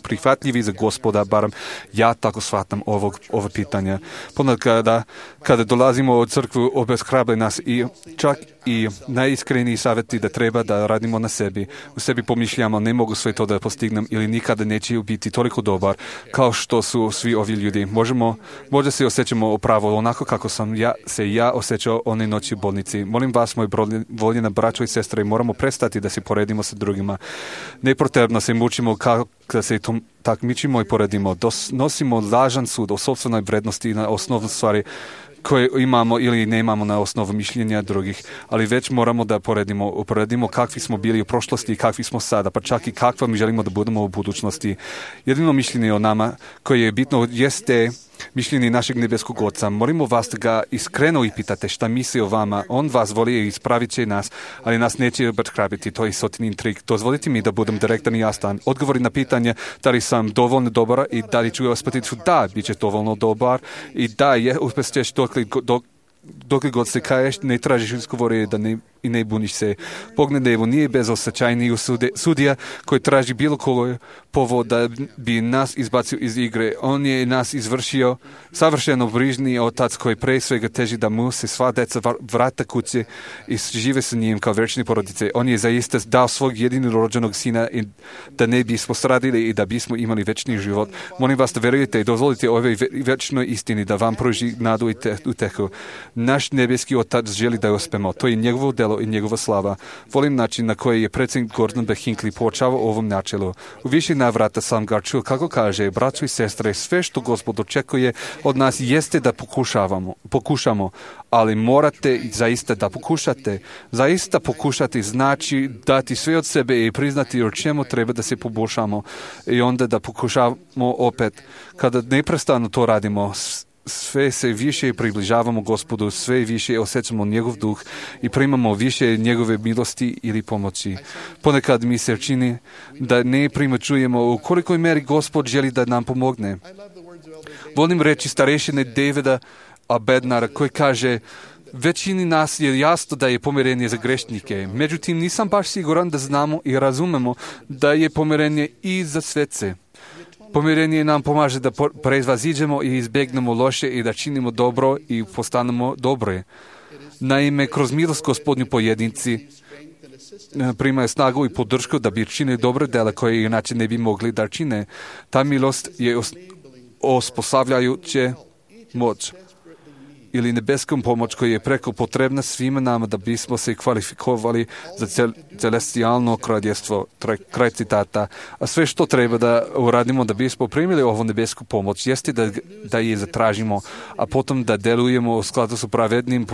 prihvatljivi za Gospoda, barem ja tako shvatam ovog, ovo pitanja. Ponad kada, kada dolazimo od crkvu, obeshrabre nas i čak i najiskreniji savjeti da treba da radimo na sebi. U sebi pomišljamo, ne mogu sve to da postignem ili nikada neće biti toliko dobar kao što su svi ovi ljudi. Možemo, možda se osjećamo upravo onako kako sam ja, se ja osjećao one noći u bolnici. Molim vas, moji voljena braćo i sestre, moramo prestati da se poredimo sa drugima. Nepotrebno se mučimo kako da se tom takmičimo i poredimo. Dos, nosimo lažan sud o sopstvenoj vrednosti i na osnovne stvari koje imamo ili ne imamo na osnovu mišljenja drugih, ali već moramo da poredimo, uporedimo kakvi smo bili u prošlosti i kakvi smo sada, pa čak i kakva mi želimo da budemo u budućnosti. Jedino mišljenje o nama koje je bitno jeste mišljenje našeg nebeskog Oca. Molimo vas da ga iskreno pitate šta misli o vama. On vas voli i ispravit će nas, ali nas neće obeshrabiti. To je sotinin trik. Dozvolite mi da budem direktan i jasan. Odgovori na pitanje da li sam dovoljno dobar i da li ću uspjeti su da, bit će dovoljno dobar i da je uspješćeš dok, dok dok god se kaješ, ne tražiš izgovore da ne, i ne buniš se. Pogled Evo nije bezosećajni sudija koji traži bilo koga povod da bi nas izbacio iz igre. On je nas izvršio savršeno brižni Otac koji pre svega teži da mu se sva deca vrata kuće i žive sa njim kao večni porodice. On je zaista dao svog jedinog rođenog sina i da ne bismo stradili i da bismo imali večni život. Molim vas da verujete i dozvolite ovoj večnoj istini da vam pruži nadu i utehu. Naš nebeski Otac želi da uspemo. To je njegovo delo i njegova slava. Volim način na koji je predsjednik Gordon B. Hinckley počao ovom načelu. U više navrata sam ga čuo kako kaže, braćo i sestre, sve što Gospod očekuje od nas jeste da pokušavamo, pokušamo, ali morate zaista da pokušate. Zaista pokušati znači dati sve od sebe i priznati o čemu treba da se poboljšamo i onda da pokušamo opet. Kada neprestano to radimo, sve se više približavamo Gospodu, sve više osjećamo njegov duh i primamo više njegove milosti ili pomoći. Ponekad mi se čini da ne primećujemo u kolikoj meri Gospod želi da nam pomogne. Volim reći starešine Davida Bednara koji kaže: većini nas je jasno da je pomirenje za grešnike, međutim nisam baš siguran da znamo i razumemo da je pomirenje i za svece. Pomirenje nam pomaže da prevaziđemo i izbjegnemo loše i da činimo dobro i postanemo dobre. Naime, kroz milost Gospodnju pojedinci primaju snagu i podršku da bi činili dobre dela koje inače ne bi mogli da čine. Ta milost je osposobljajuće moć ili nebeskom pomoć koja je preko potrebna svima nama da bismo se kvalifikovali za cel, celestijalno kraljevstvo, kraj citata. A sve što treba da uradimo da bismo primili ovu nebesku pomoć jeste da, da je zatražimo, a potom da delujemo u skladu s pravednim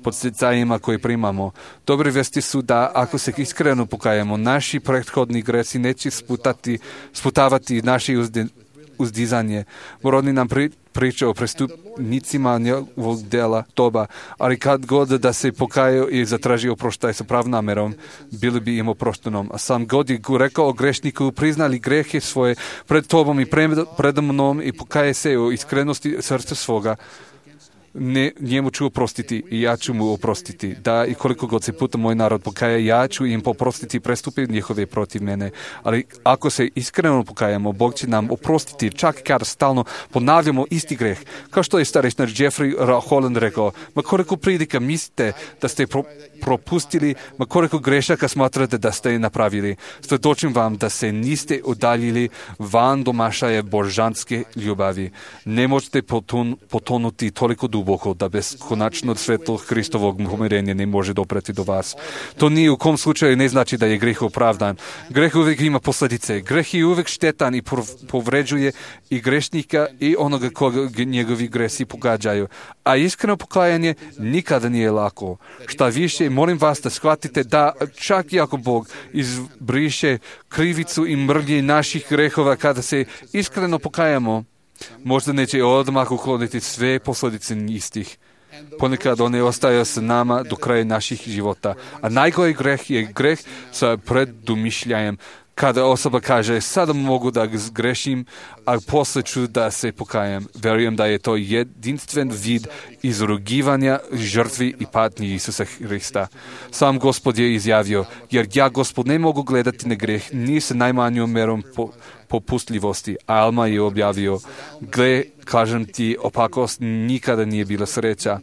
podsticajima koje primamo. Dobre vesti su da ako se iskreno pokajemo, naši prethodni greci neće sputati, sputavati naši uzde, uzdizanje. Morodni nam pri, priča o prestupnicima njegovog dela doba, ali kad god da se pokajaju i zatraži oproštaj sa prav namerom, bili bi im oproštenom. A sam God je rekao o grešniku: priznali grehe svoje pred tobom i pred, pred mnom i pokaje se u iskrenosti srca svoga, ne, njemu ću oprostiti i ja ću mu oprostiti. Da, i koliko god se puta moj narod pokaje, ja ću im oprostiti prestupe njihove protiv mene. Ali ako se iskreno pokajamo, Bog će nam oprostiti čak kada stalno ponavljamo isti greh. Kao što je starešnar Jeffrey Holland rekao: ma koliko prilika mislite da ste pro, propustili, ma koliko grešaka smatrate da ste napravili. Svjedočim vam da se niste udaljili van domašaje božanske ljubavi. Ne možete potun, potonuti toliko duboko da beskonačno svetlo Hristovog pomirenja ne može dopreti do vas. To nije u kom slučaju ne znači da je greh opravdan. Greh uvijek ima posljedice. Greh je uvijek štetan i povređuje i grešnika i onoga koga njegovi gresi pogađaju. A iskreno pokajanje nikada nije lako. Šta više, molim vas da shvatite da čak i ako Bog izbriše krivicu i mrlje naših grehova kada se iskreno pokajamo, možda neće odmah ukloniti sve posljedice istih. Ponekad one ostaju s nama do kraja naših života. A najgori greh je greh sa predumišljajem. Kada osoba kaže: sada mogu da grešim, a poslije ću da se pokajem. Verujem da je to jedinstven vid izrugivanja žrtvi i patnji Isusa Hrista. Sam Gospod je izjavio: jer ja, Gospod, ne mogu gledati na greh ni sa najmanjom merom po, popustljivosti. A Alma je objavio: gle, kažem ti, opakost nikada nije bila sreća.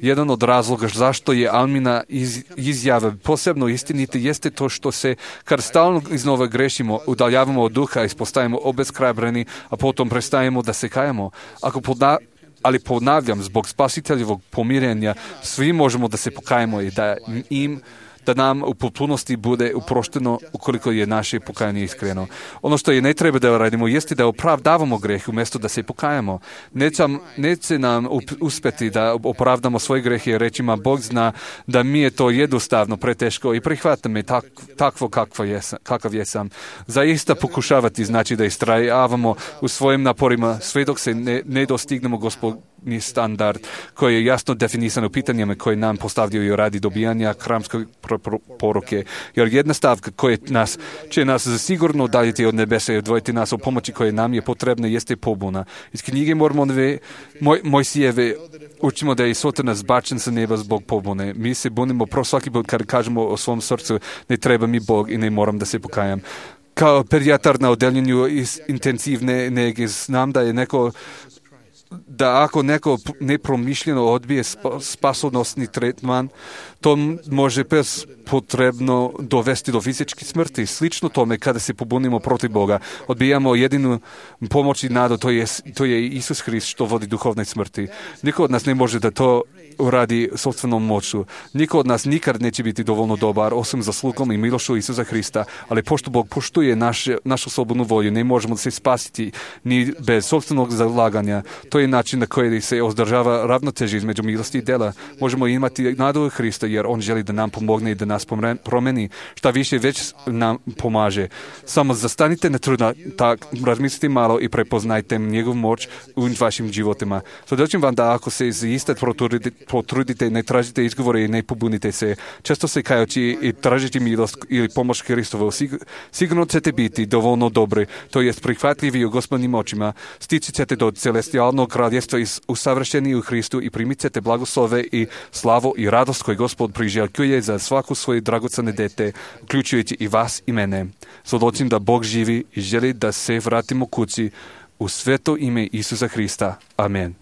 Jedan od razloga zašto je Almina iz, izjava posebno istinita jeste to što se, kad stalno iznova grešimo, udaljavamo od duha i postajemo obeshrabreni, a potom prestajemo da se kajamo. Ako podna, ali ponavljam, zbog spasiteljevog pomirenja, svi možemo da se pokajemo i da im da nam u potpunosti bude uprošteno ukoliko je naše pokajanje iskreno. Ono što je ne treba da radimo jeste da opravdavamo greh umjesto da se pokajamo. Neće, neće nam uspjeti da opravdamo svoje grehe rečima: Bog zna da mi je to jednostavno preteško i prihvata me tak, takvo kakvo jesam, kakav jesam. Zaista pokušavati znači da istrajavamo u svojim naporima sve dok se ne, ne dostignemo Gospodnji standard koji je jasno definisan u pitanjima koje nam postavljaju radi dobijanja hramske poruke. Jer jedna stavka koja nas, će nas sigurno udaljiti od nebesa i odvojiti nas o pomoći koje nam je potrebna jeste pobuna. Iz knjige Mormonove moj, Mojsijeve učimo da je Satan zbačen sa neba zbog pobune. Mi se bunimo pro svaki put kad kažemo o svom srcu: ne treba mi Bog i ne moram da se pokajam. Kao pedijatar na odeljenju iz intenzivne nege znam da je neko da ako neko nepromišljeno odbije spasonosni tretman, to može bez potrebno dovesti do fizičke smrti. Slično tome kada se pobunimo protiv Boga, odbijamo jedinu pomoć i nadu, to je, to je Isus Hrist što vodi duhovne smrti. Niko od nas ne može da to uradi sopstvenom moću. Niko od nas nikad neće biti dovoljno dobar, osim zaslugom i milošću Isusa Hrista, ali pošto Bog poštuje naše, našu slobodnu volju, ne možemo se spasiti ni bez sopstvenog zalaganja. To je način na koji se održava ravnoteža između milosti i dela. Možemo imati nadu u Hrista jer On želi da nam pomogne i da nas нас промени, šta više već nam pomaže. Samo zastanite na trudno, tak razmislite malo i prepoznajte njegov moć u vašim životima. Svjedočim vam da ako se zaista potrudite, potrudite, ne tražite izgovore i ne pobunite se, često se kajući i tražiti milost ili pomoć Hristovu, sigurno ćete biti dovoljno dobri, to jest prihvatljivi u Gospodnim očima, stići ćete do celestijalnog kraljestva i usavršeni u Hristu i primit ćete blagoslove i slavu i radost koju Gospod priželjkuje za svaku svoje dragocene dete, uključujući i vas i mene. Svjedočim da Bog živi i želi da se vratimo kući u sveto ime Isusa Hrista. Amen.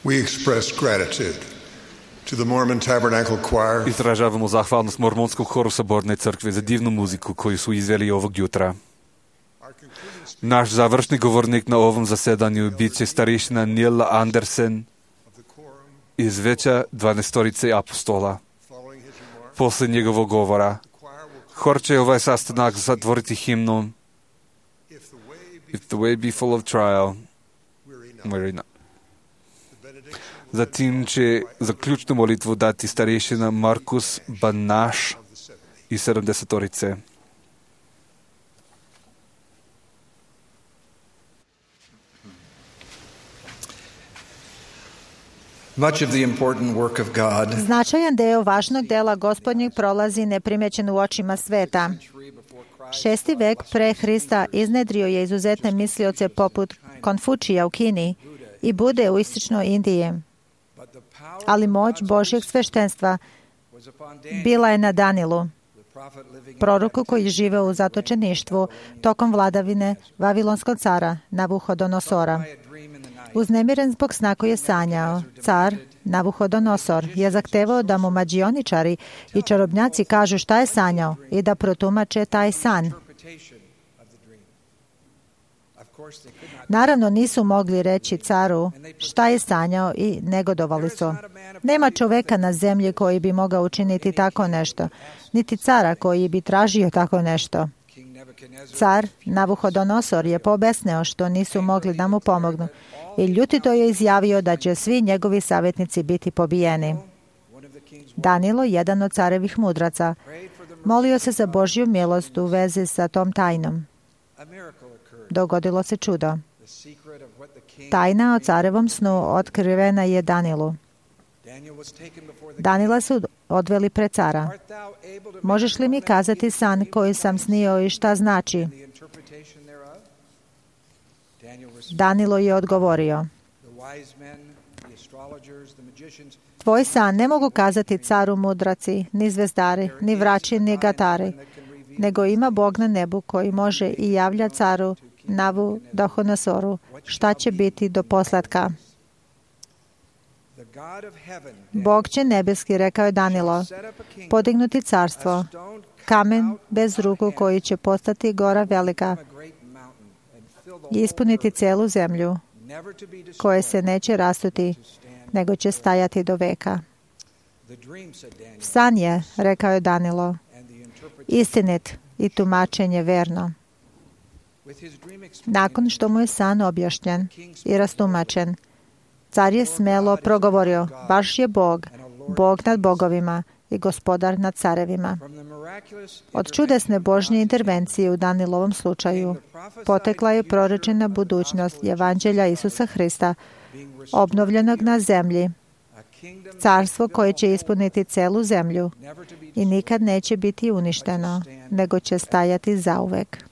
We express gratitude to the Mormon Tabernacle Choir. Izražavamo zahvalnost Mormonskom horu Saborne crkve za divnu muziku koju su izveli ovog jutra. Naš završni govornik na ovom zasedanju bit će starešina Neil Andersen iz Veća dvanaestorice apostola. Posle njegovog govora, hor će ovaj sastanak zatvoriti himnom If the way be full of trial, Marina. Zatim će zaključnu molitvu dati starješina Markus Banaš i sedamdesetorice. Much of the important work of God Značajan deo važnog dela Gospodnjeg prolazi neprimećen u očima sveta. Šesti vek pre Hrista iznedrio je izuzetne mislioce poput Konfučija u Kini i Bude u istočnoj Indiji. Ali moć Božjeg sveštenstva bila je na Danilu, proroku koji žive u zatočeništvu tokom vladavine Vavilonskog cara Navuhodonosora. Uznemiren zbog sna koji je sanjao, car Navuhodonosor je zahtevao da mu mađioničari i čarobnjaci kažu šta je sanjao i da protumače taj san. Naravno nisu mogli reći caru šta je sanjao i negodovali su. Nema čoveka na zemlji koji bi mogao učiniti tako nešto, niti cara koji bi tražio tako nešto. Car Navuhodonosor je pobesneo što nisu mogli da mu pomognu i ljutito je izjavio da će svi njegovi savjetnici biti pobijeni. Danilo, jedan od carevih mudraca, molio se za Božju milost u vezi sa tom tajnom. Dogodilo se čudo. Tajna o carevom snu otkrivena je Danilu. Danila su odveli pred cara. Možeš li mi kazati san koji sam snio i šta znači? Danilo je odgovorio. Tvoj san ne mogu kazati caru mudraci, ni zvezdari, ni vrači, ni gatari, nego ima Bog na nebu koji može i javlja caru Navuhodonosoru šta će biti do poslatka. Bog će nebeski, rekao je Danilo, podignuti carstvo, kamen bez ruku koji će postati gora velika i ispuniti celu zemlju, koje se neće rastuti, nego će stajati do veka. San je, rekao je Danilo, istinit i tumačenje verno. Nakon što mu je san objašnjen i rastumačen, car je smelo progovorio, baš je Bog, Bog nad bogovima i gospodar nad carevima. Od čudesne Božje intervencije u Danilovom slučaju potekla je prorečena budućnost Evanđelja Isusa Hrista, obnovljenog na zemlji, carstvo koje će ispuniti celu zemlju i nikad neće biti uništeno, nego će stajati zauvek.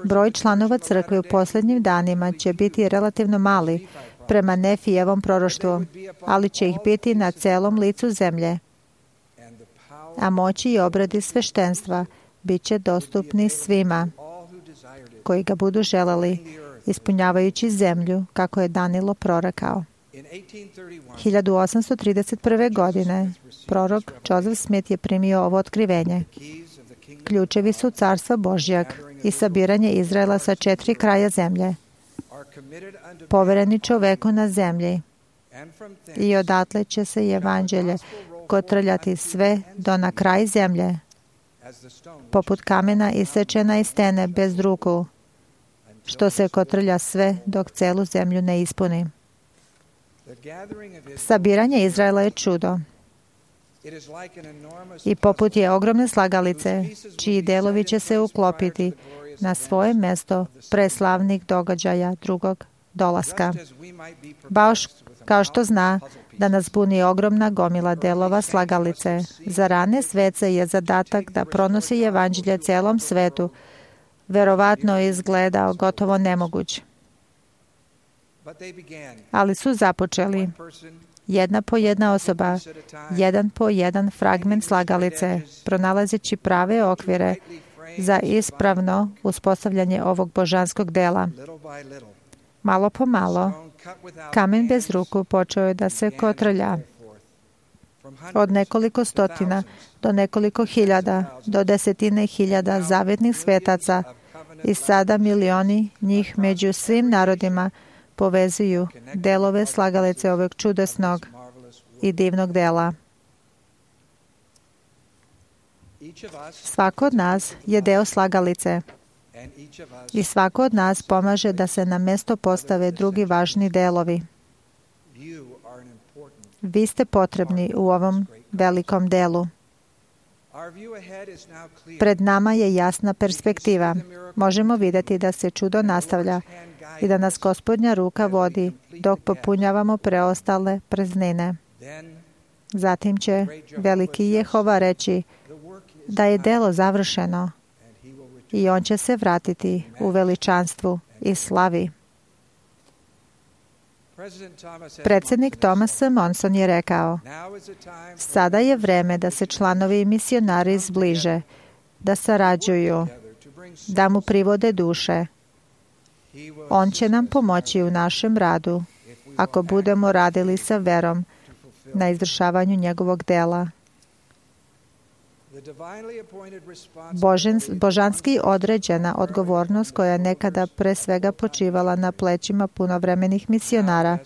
Broj članova crkve u posljednjim danima će biti relativno mali prema Nefijevom proroštvu, ali će ih biti na celom licu zemlje, a moći i obradi sveštenstva bit će dostupni svima koji ga budu želeli, ispunjavajući zemlju kako je Danilo prorekao. hiljadu osamsto trideset prve. godine prorok Joseph Smith je primio ovo otkrivenje. Ključevi su carstva Božjeg i sabiranje Izraela sa četiri kraja zemlje, povereni čoveku na zemlji, i odatle će se evanđelje kotrljati sve do na kraj zemlje, poput kamena isečena iz stene bez ruku, što se kotrlja sve dok celu zemlju ne ispuni. Sabiranje Izraela je čudo i poput je ogromne slagalice, čiji delovi će se uklopiti na svoje mesto pre slavnih događaja drugog dolaska. Baš kao što zna da nas buni ogromna gomila delova slagalice, za rane svece je zadatak da pronosi evanđelje celom svetu, verovatno izgledao gotovo nemoguć. Ali su započeli, jedna po jedna osoba, jedan po jedan fragment slagalice, pronalazeći prave okvire za ispravno uspostavljanje ovog božanskog dela. Malo po malo, kamen bez ruku počeo je da se kotrlja. Od nekoliko stotina do nekoliko hiljada, do desetine hiljada zavetnih svetaca i sada milioni njih među svim narodima povezuju delove slagalice ovog čudesnog i divnog dela. Svako od nas je deo slagalice I svako od nas pomaže da se na mesto postave drugi važni delovi. Vi ste potrebni u ovom velikom delu. Pred nama je jasna perspektiva. Možemo vidjeti da se čudo nastavlja i da nas Gospodnja ruka vodi dok popunjavamo preostale praznine. Zatim će veliki Jehova reći da je delo završeno i on će se vratiti u veličanstvu i slavi. Predsjednik Thomas S. Monson je rekao: sada je vreme da se članovi i misionari zbliže, da sarađuju, da mu privode duše. On će nam pomoći u našem radu ako budemo radili sa verom na izvršavanju njegovog dela. Božen, božanski određena odgovornost koja je nekada pre svega počivala na plećima punovremenih misionara,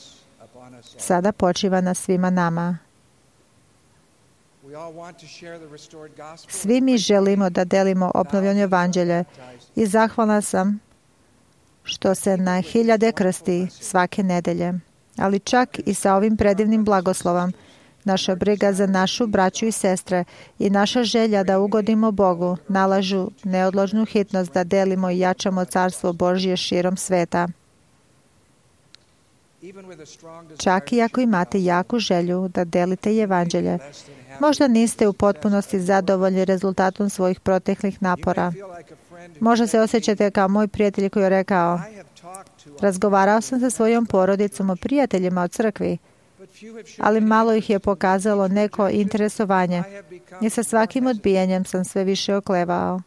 sada počiva na svima nama. Svi mi želimo da delimo obnovljeno evanđelje i zahvalna sam što se na hiljade krsti svake nedelje. Ali čak i sa ovim predivnim blagoslovom, naša briga za našu braću i sestre i naša želja da ugodimo Bogu nalažu neodložnu hitnost da delimo i jačamo Carstvo Božje širom sveta. Čak i ako imate jaku želju da delite evanđelje, možda niste u potpunosti zadovoljni rezultatom svojih proteklih napora. Možda se osjećate kao moj prijatelj koji je rekao: razgovarao sam sa svojom porodicom o prijateljima od crkvi, ali malo ih je pokazalo neko interesovanje i sa svakim odbijanjem sam sve više oklevao.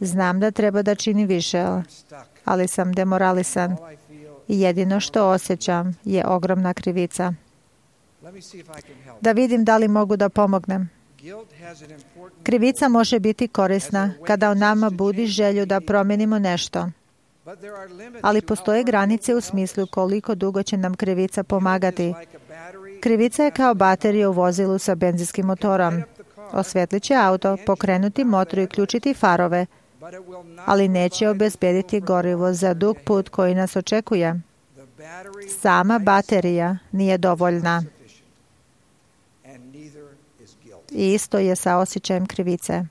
Znam da treba da čini više, ali sam demoralisan i jedino što osjećam je ogromna krivica. Da vidim da li mogu da pomognem. Krivica može biti korisna kada u nama budi želju da promenimo nešto. Ali postoje granice u smislu koliko dugo će nam krivica pomagati. Krivica je kao baterija u vozilu sa benzinskim motorom. Osvetlit će auto, pokrenuti motor i uključiti farove, ali neće obezbediti gorivo za dug put koji nas očekuje. Sama baterija nije dovoljna. I isto je sa osjećajem krivice.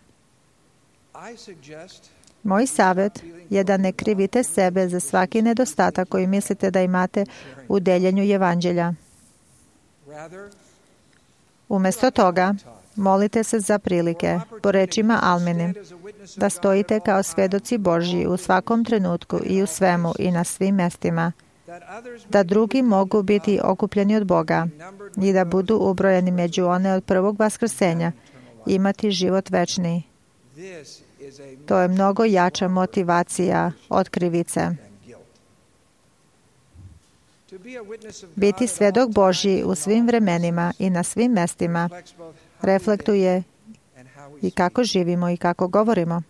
Moj savjet je da ne krivite sebe za svaki nedostatak koji mislite da imate u deljenju evanđelja. Umjesto toga, molite se za prilike, po rečima Almine, da stojite kao svedoci Božji u svakom trenutku i u svemu i na svim mestima, da drugi mogu biti okupljeni od Boga i da budu ubrojeni među one od prvog vaskrsenja, imati život večni. To je mnogo jača motivacija od krivice. Biti svjedok Božji u svim vremenima i na svim mestima reflektuje i kako živimo i kako govorimo.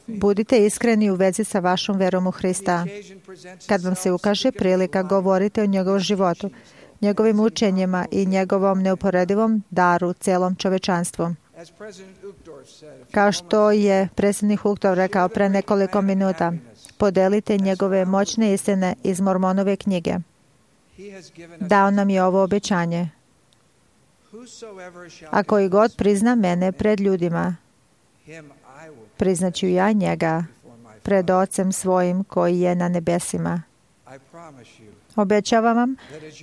Budite iskreni u vezi sa vašom verom u Hrista. Kad vam se ukaže prilika, govorite o njegovom životu, njegovim učenjima i njegovom neuporedivom daru celom čovečanstvu. Kao što je predsjednik Uchtdorf rekao pre nekoliko minuta, podelite njegove moćne istine iz Mormonove knjige. Dao nam je ovo obećanje. A koji god prizna mene pred ljudima, priznaću ja njega pred Ocem svojim koji je na nebesima. Obećavam vam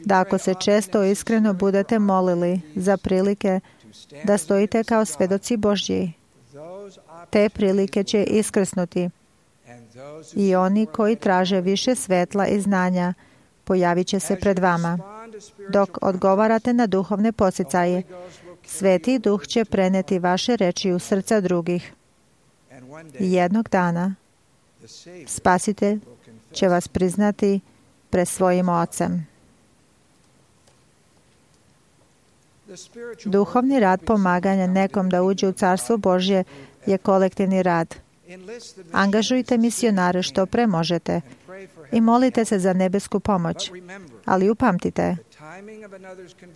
da ako se često iskreno budete molili za prilike da stojite kao svedoci Božji, te prilike će iskrsnuti i oni koji traže više svetla i znanja pojavit će se pred vama. Dok odgovarate na duhovne poticaje, Sveti Duh će preneti vaše reči u srca drugih. I jednog dana Spasitelj će vas priznati pred svojim Ocem. Duhovni rad pomaganja nekom da uđe u Carstvo Božje je kolektivni rad. Angažujte misionare što pre možete i molite se za nebesku pomoć. Ali upamtite,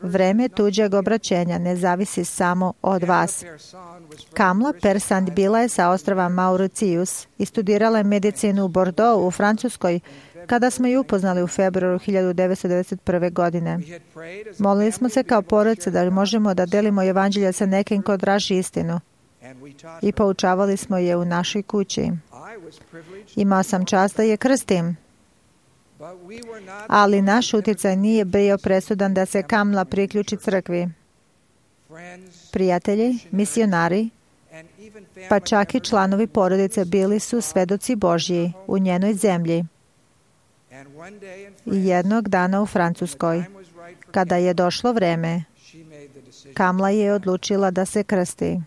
vreme tuđeg obraćenja ne zavisi samo od vas. Kamla Persand bila je sa ostrava Mauritius i studirala je medicinu u Bordeaux u Francuskoj kada smo ju upoznali u februaru hiljadu devetsto devedeset prve. godine. Molili smo se kao porodica da možemo da delimo evanđelje sa nekim ko traži istinu i poučavali smo je u našoj kući. Imao sam čast da je krstim, ali naš uticaj nije bio presudan da se Kamla priključi crkvi. Prijatelji, misionari, pa čak i članovi porodice bili su svedoci Božji u njenoj zemlji. I jednog dana u Francuskoj, kada je došlo vreme, Kamla je odlučila da se krsti.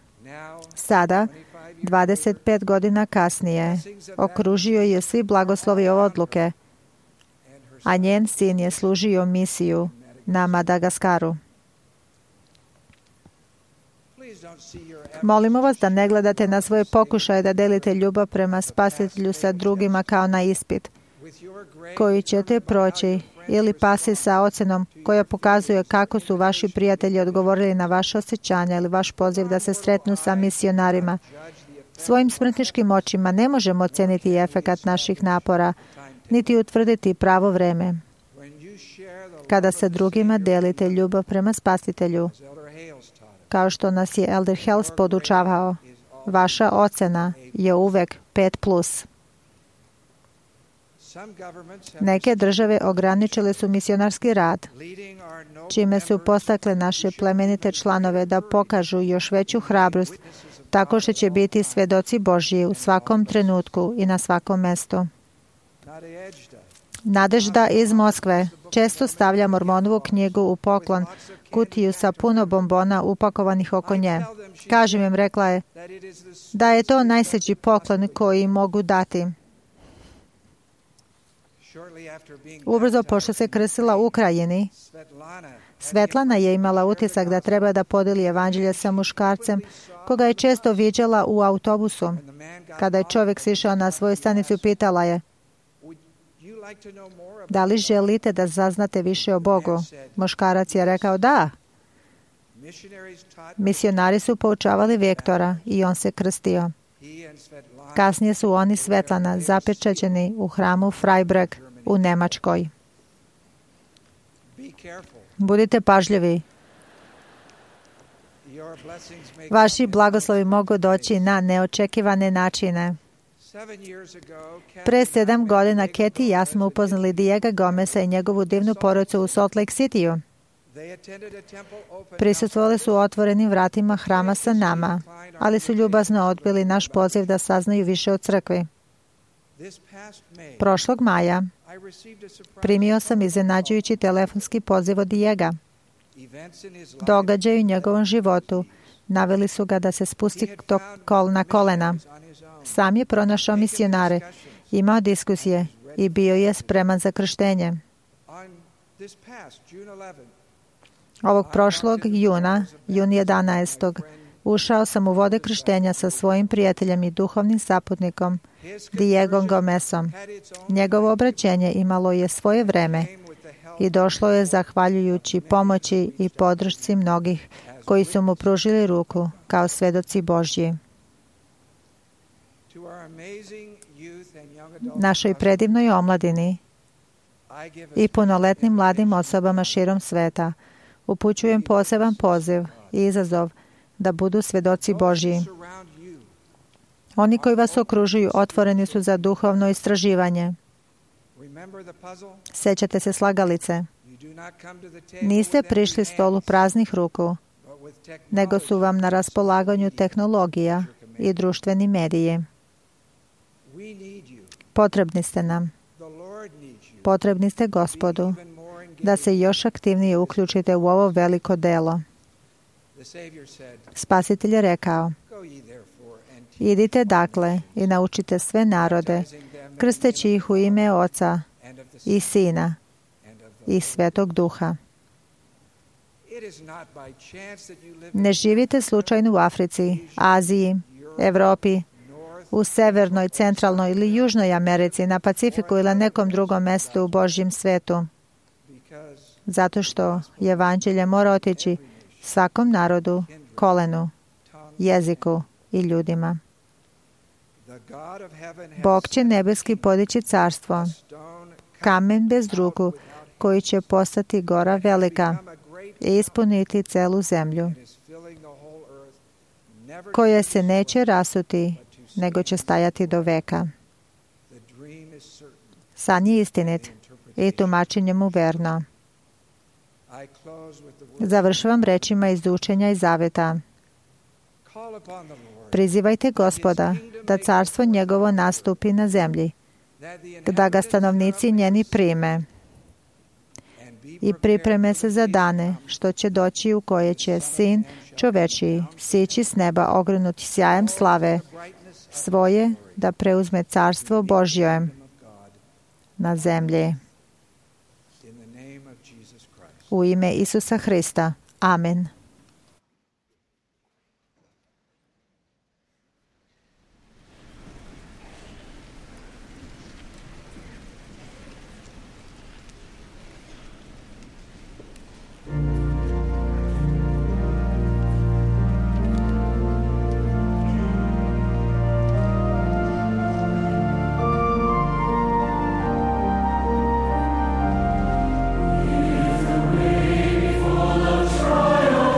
Sada, dvadeset pet godina kasnije, okružio je svi blagoslovi ove odluke, a njen sin je služio misiju na Madagaskaru. Molimo vas da ne gledate na svoje pokušaje da delite ljubav prema Spasitelju sa drugima kao na ispit, koji ćete proći, ili pasi sa ocenom koja pokazuje kako su vaši prijatelji odgovorili na vaše osjećanja ili vaš poziv da se sretnu sa misionarima. Svojim smrtničkim očima ne možemo oceniti efekat naših napora, niti utvrditi pravo vreme. Kada se drugima delite ljubav prema Spasitelju, kao što nas je Elder Hales podučavao, vaša ocena je uvek pet plus. Neke države ograničile su misionarski rad, čime su postakle naše plemenite članove da pokažu još veću hrabrost, tako što će biti svedoci Božji u svakom trenutku i na svakom mestu. Nadežda iz Moskve često stavlja Mormonovu knjigu u poklon, kutiju sa puno bombona upakovanih oko nje. Kažem im, rekla je, da je to najsveći poklon koji mogu dati. Ubrzo pošto se krstila u Ukrajini, Svetlana je imala utisak da treba da podeli evanđelje sa muškarcem, koga je često viđala u autobusu. Kada je čovjek sišao na svoju stanicu, pitala je, da li želite da saznate više o Bogu? Muškarac je rekao da. Misionari su poučavali Viktora i on se krstio. Kasnije su oni Svetlana zapečaćeni u hramu Freiburg u Nemačkoj. Budite pažljivi. Vaši blagoslovi mogu doći na neočekivane načine. Pre sedam godina Keti i ja smo upoznali Diego Gomesa i njegovu divnu porodicu u Salt Lake Cityu. Prisustvovali su otvorenim vratima hrama sa nama, ali su ljubazno odbili naš poziv da saznaju više o crkvi. Prošlog maja primio sam iznenađujući telefonski poziv od Diega. Događaji u njegovom životu naveli su ga da se spusti na kolena. Sam je pronašao misionare, imao diskusije i bio je spreman za krštenje. Ovog prošlog juna, jun jedanaestog, ušao sam u vode krštenja sa svojim prijateljem i duhovnim saputnikom, Diego Gomesom. Njegovo obraćenje imalo je svoje vreme i došlo je zahvaljujući pomoći i podršci mnogih koji su mu pružili ruku kao svedoci Božji. Našoj predivnoj omladini i punoletnim mladim osobama širom sveta upućujem poseban poziv i izazov da budu svedoci Božji. Oni koji vas okružuju otvoreni su za duhovno istraživanje. Sećate se slagalice. Niste prišli stolu praznih ruku, nego su vam na raspolaganju tehnologija i društveni mediji. Potrebni ste nam. Potrebni ste Gospodu da se još aktivnije uključite u ovo veliko delo. Spasitelj je rekao, idite dakle i naučite sve narode, krsteći ih u ime Oca i Sina i Svetog Duha. Ne živite slučajno u Africi, Aziji, Evropi, u Severnoj, Centralnoj ili Južnoj Americi, na Pacifiku ili nekom drugom mestu u Božjem svetu. Zato što evanđelje mora otići svakom narodu, kolenu, jeziku i ljudima. Bog će nebeski podići carstvo, kamen bez ruku, koji će postati gora velika i ispuniti celu zemlju, koja se neće rasuti, nego će stajati do veka. San je istinit i tumačenje mu verno. Završavam rečima iz učenja i zaveta. Prizivajte Gospoda da carstvo njegovo nastupi na zemlji, da ga stanovnici njeni prime i pripreme se za dane što će doći u koje će Sin čovečiji sići s neba ogrenuti sjajem slave svoje da preuzme carstvo Božje na zemlji. U ime Isusa Hrista. Amen. Trial.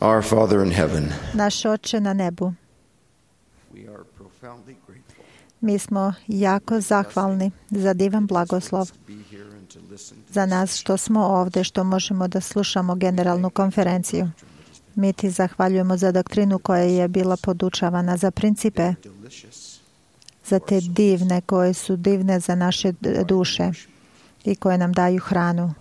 Our Father in heaven, Naš Oče na nebu, we are profoundly grateful mi smo jako zahvalni za divan blagoslov, to be here and to listen to za nas što smo ovde, što možemo da slušamo generalnu konferenciju. Mi ti zahvaljujemo za doktrinu koja je bila podučavana, za principe, delicious za te divne koje su divne za naše duše i koje nam daju hranu.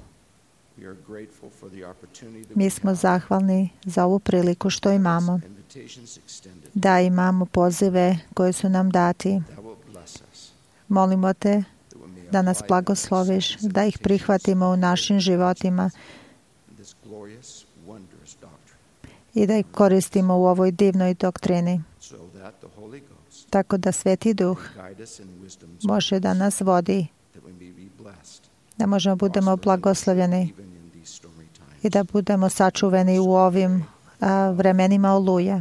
We are grateful for the opportunity that Mi we smo have, zahvalni za ovu priliku što imamo, invitations extended da imamo pozive koje su nam dati. that will bless us, Molimo te that we may da nas apply blagosloviš, these da ih prihvatimo u našim životima in this glorious, wondrous doctrine, i da ih koristimo u ovoj divnoj doktrini, so that the Holy Ghost tako da Sveti Duh guide us in wisdom's može da nas vodi, that we may be blessed, da možemo budemo blagoslovljeni even in these stormy times. i da budemo sačuveni u ovim a, vremenima oluje.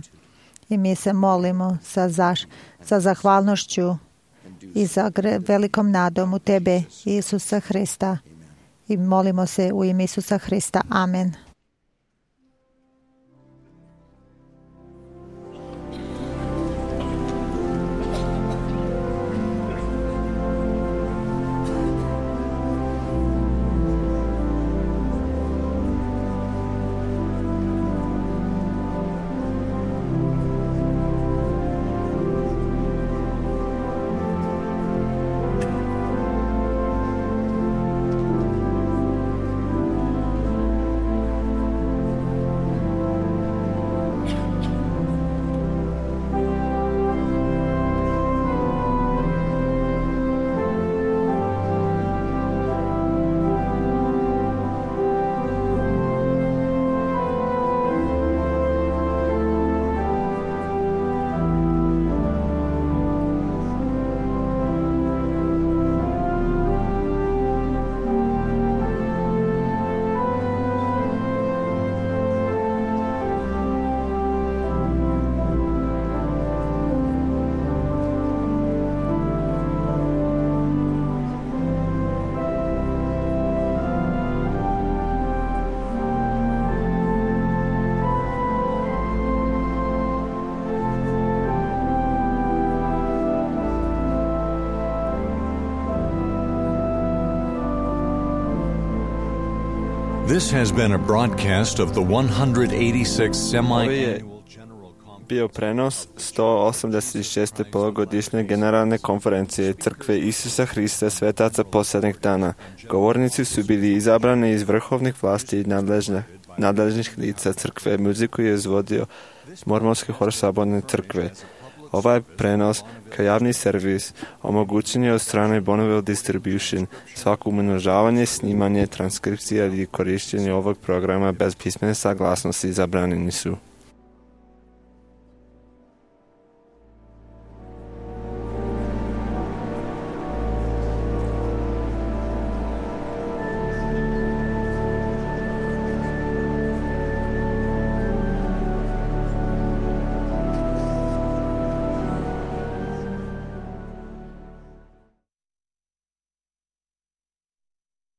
I mi se molimo sa, zaš, sa zahvalnošću i za gre, velikom nadom u Tebe, Isusa Hrista. I molimo se u ime Isusa Hrista. Amen. This has been a broadcast of the one hundred eighty-sixth Semi-Annual General Conference. Bio prenos sto osamdeset šeste polugodišnje generalne konferencije Crkve Isusa Hrista svetaca posljednjeg dana. Govornici su bili izabrani iz vrhovnih vlasti i nadležne, nadležnih lica Crkve. Muziku je izvodio Mormonski hor Saborne crkve. Ovaj prenos kao javni servis omogućen je od strane Bonneville Distribution. Svako umnožavanje, snimanje, transkripcija ili korištenje ovog programa bez pismene saglasnosti zabranjeni su.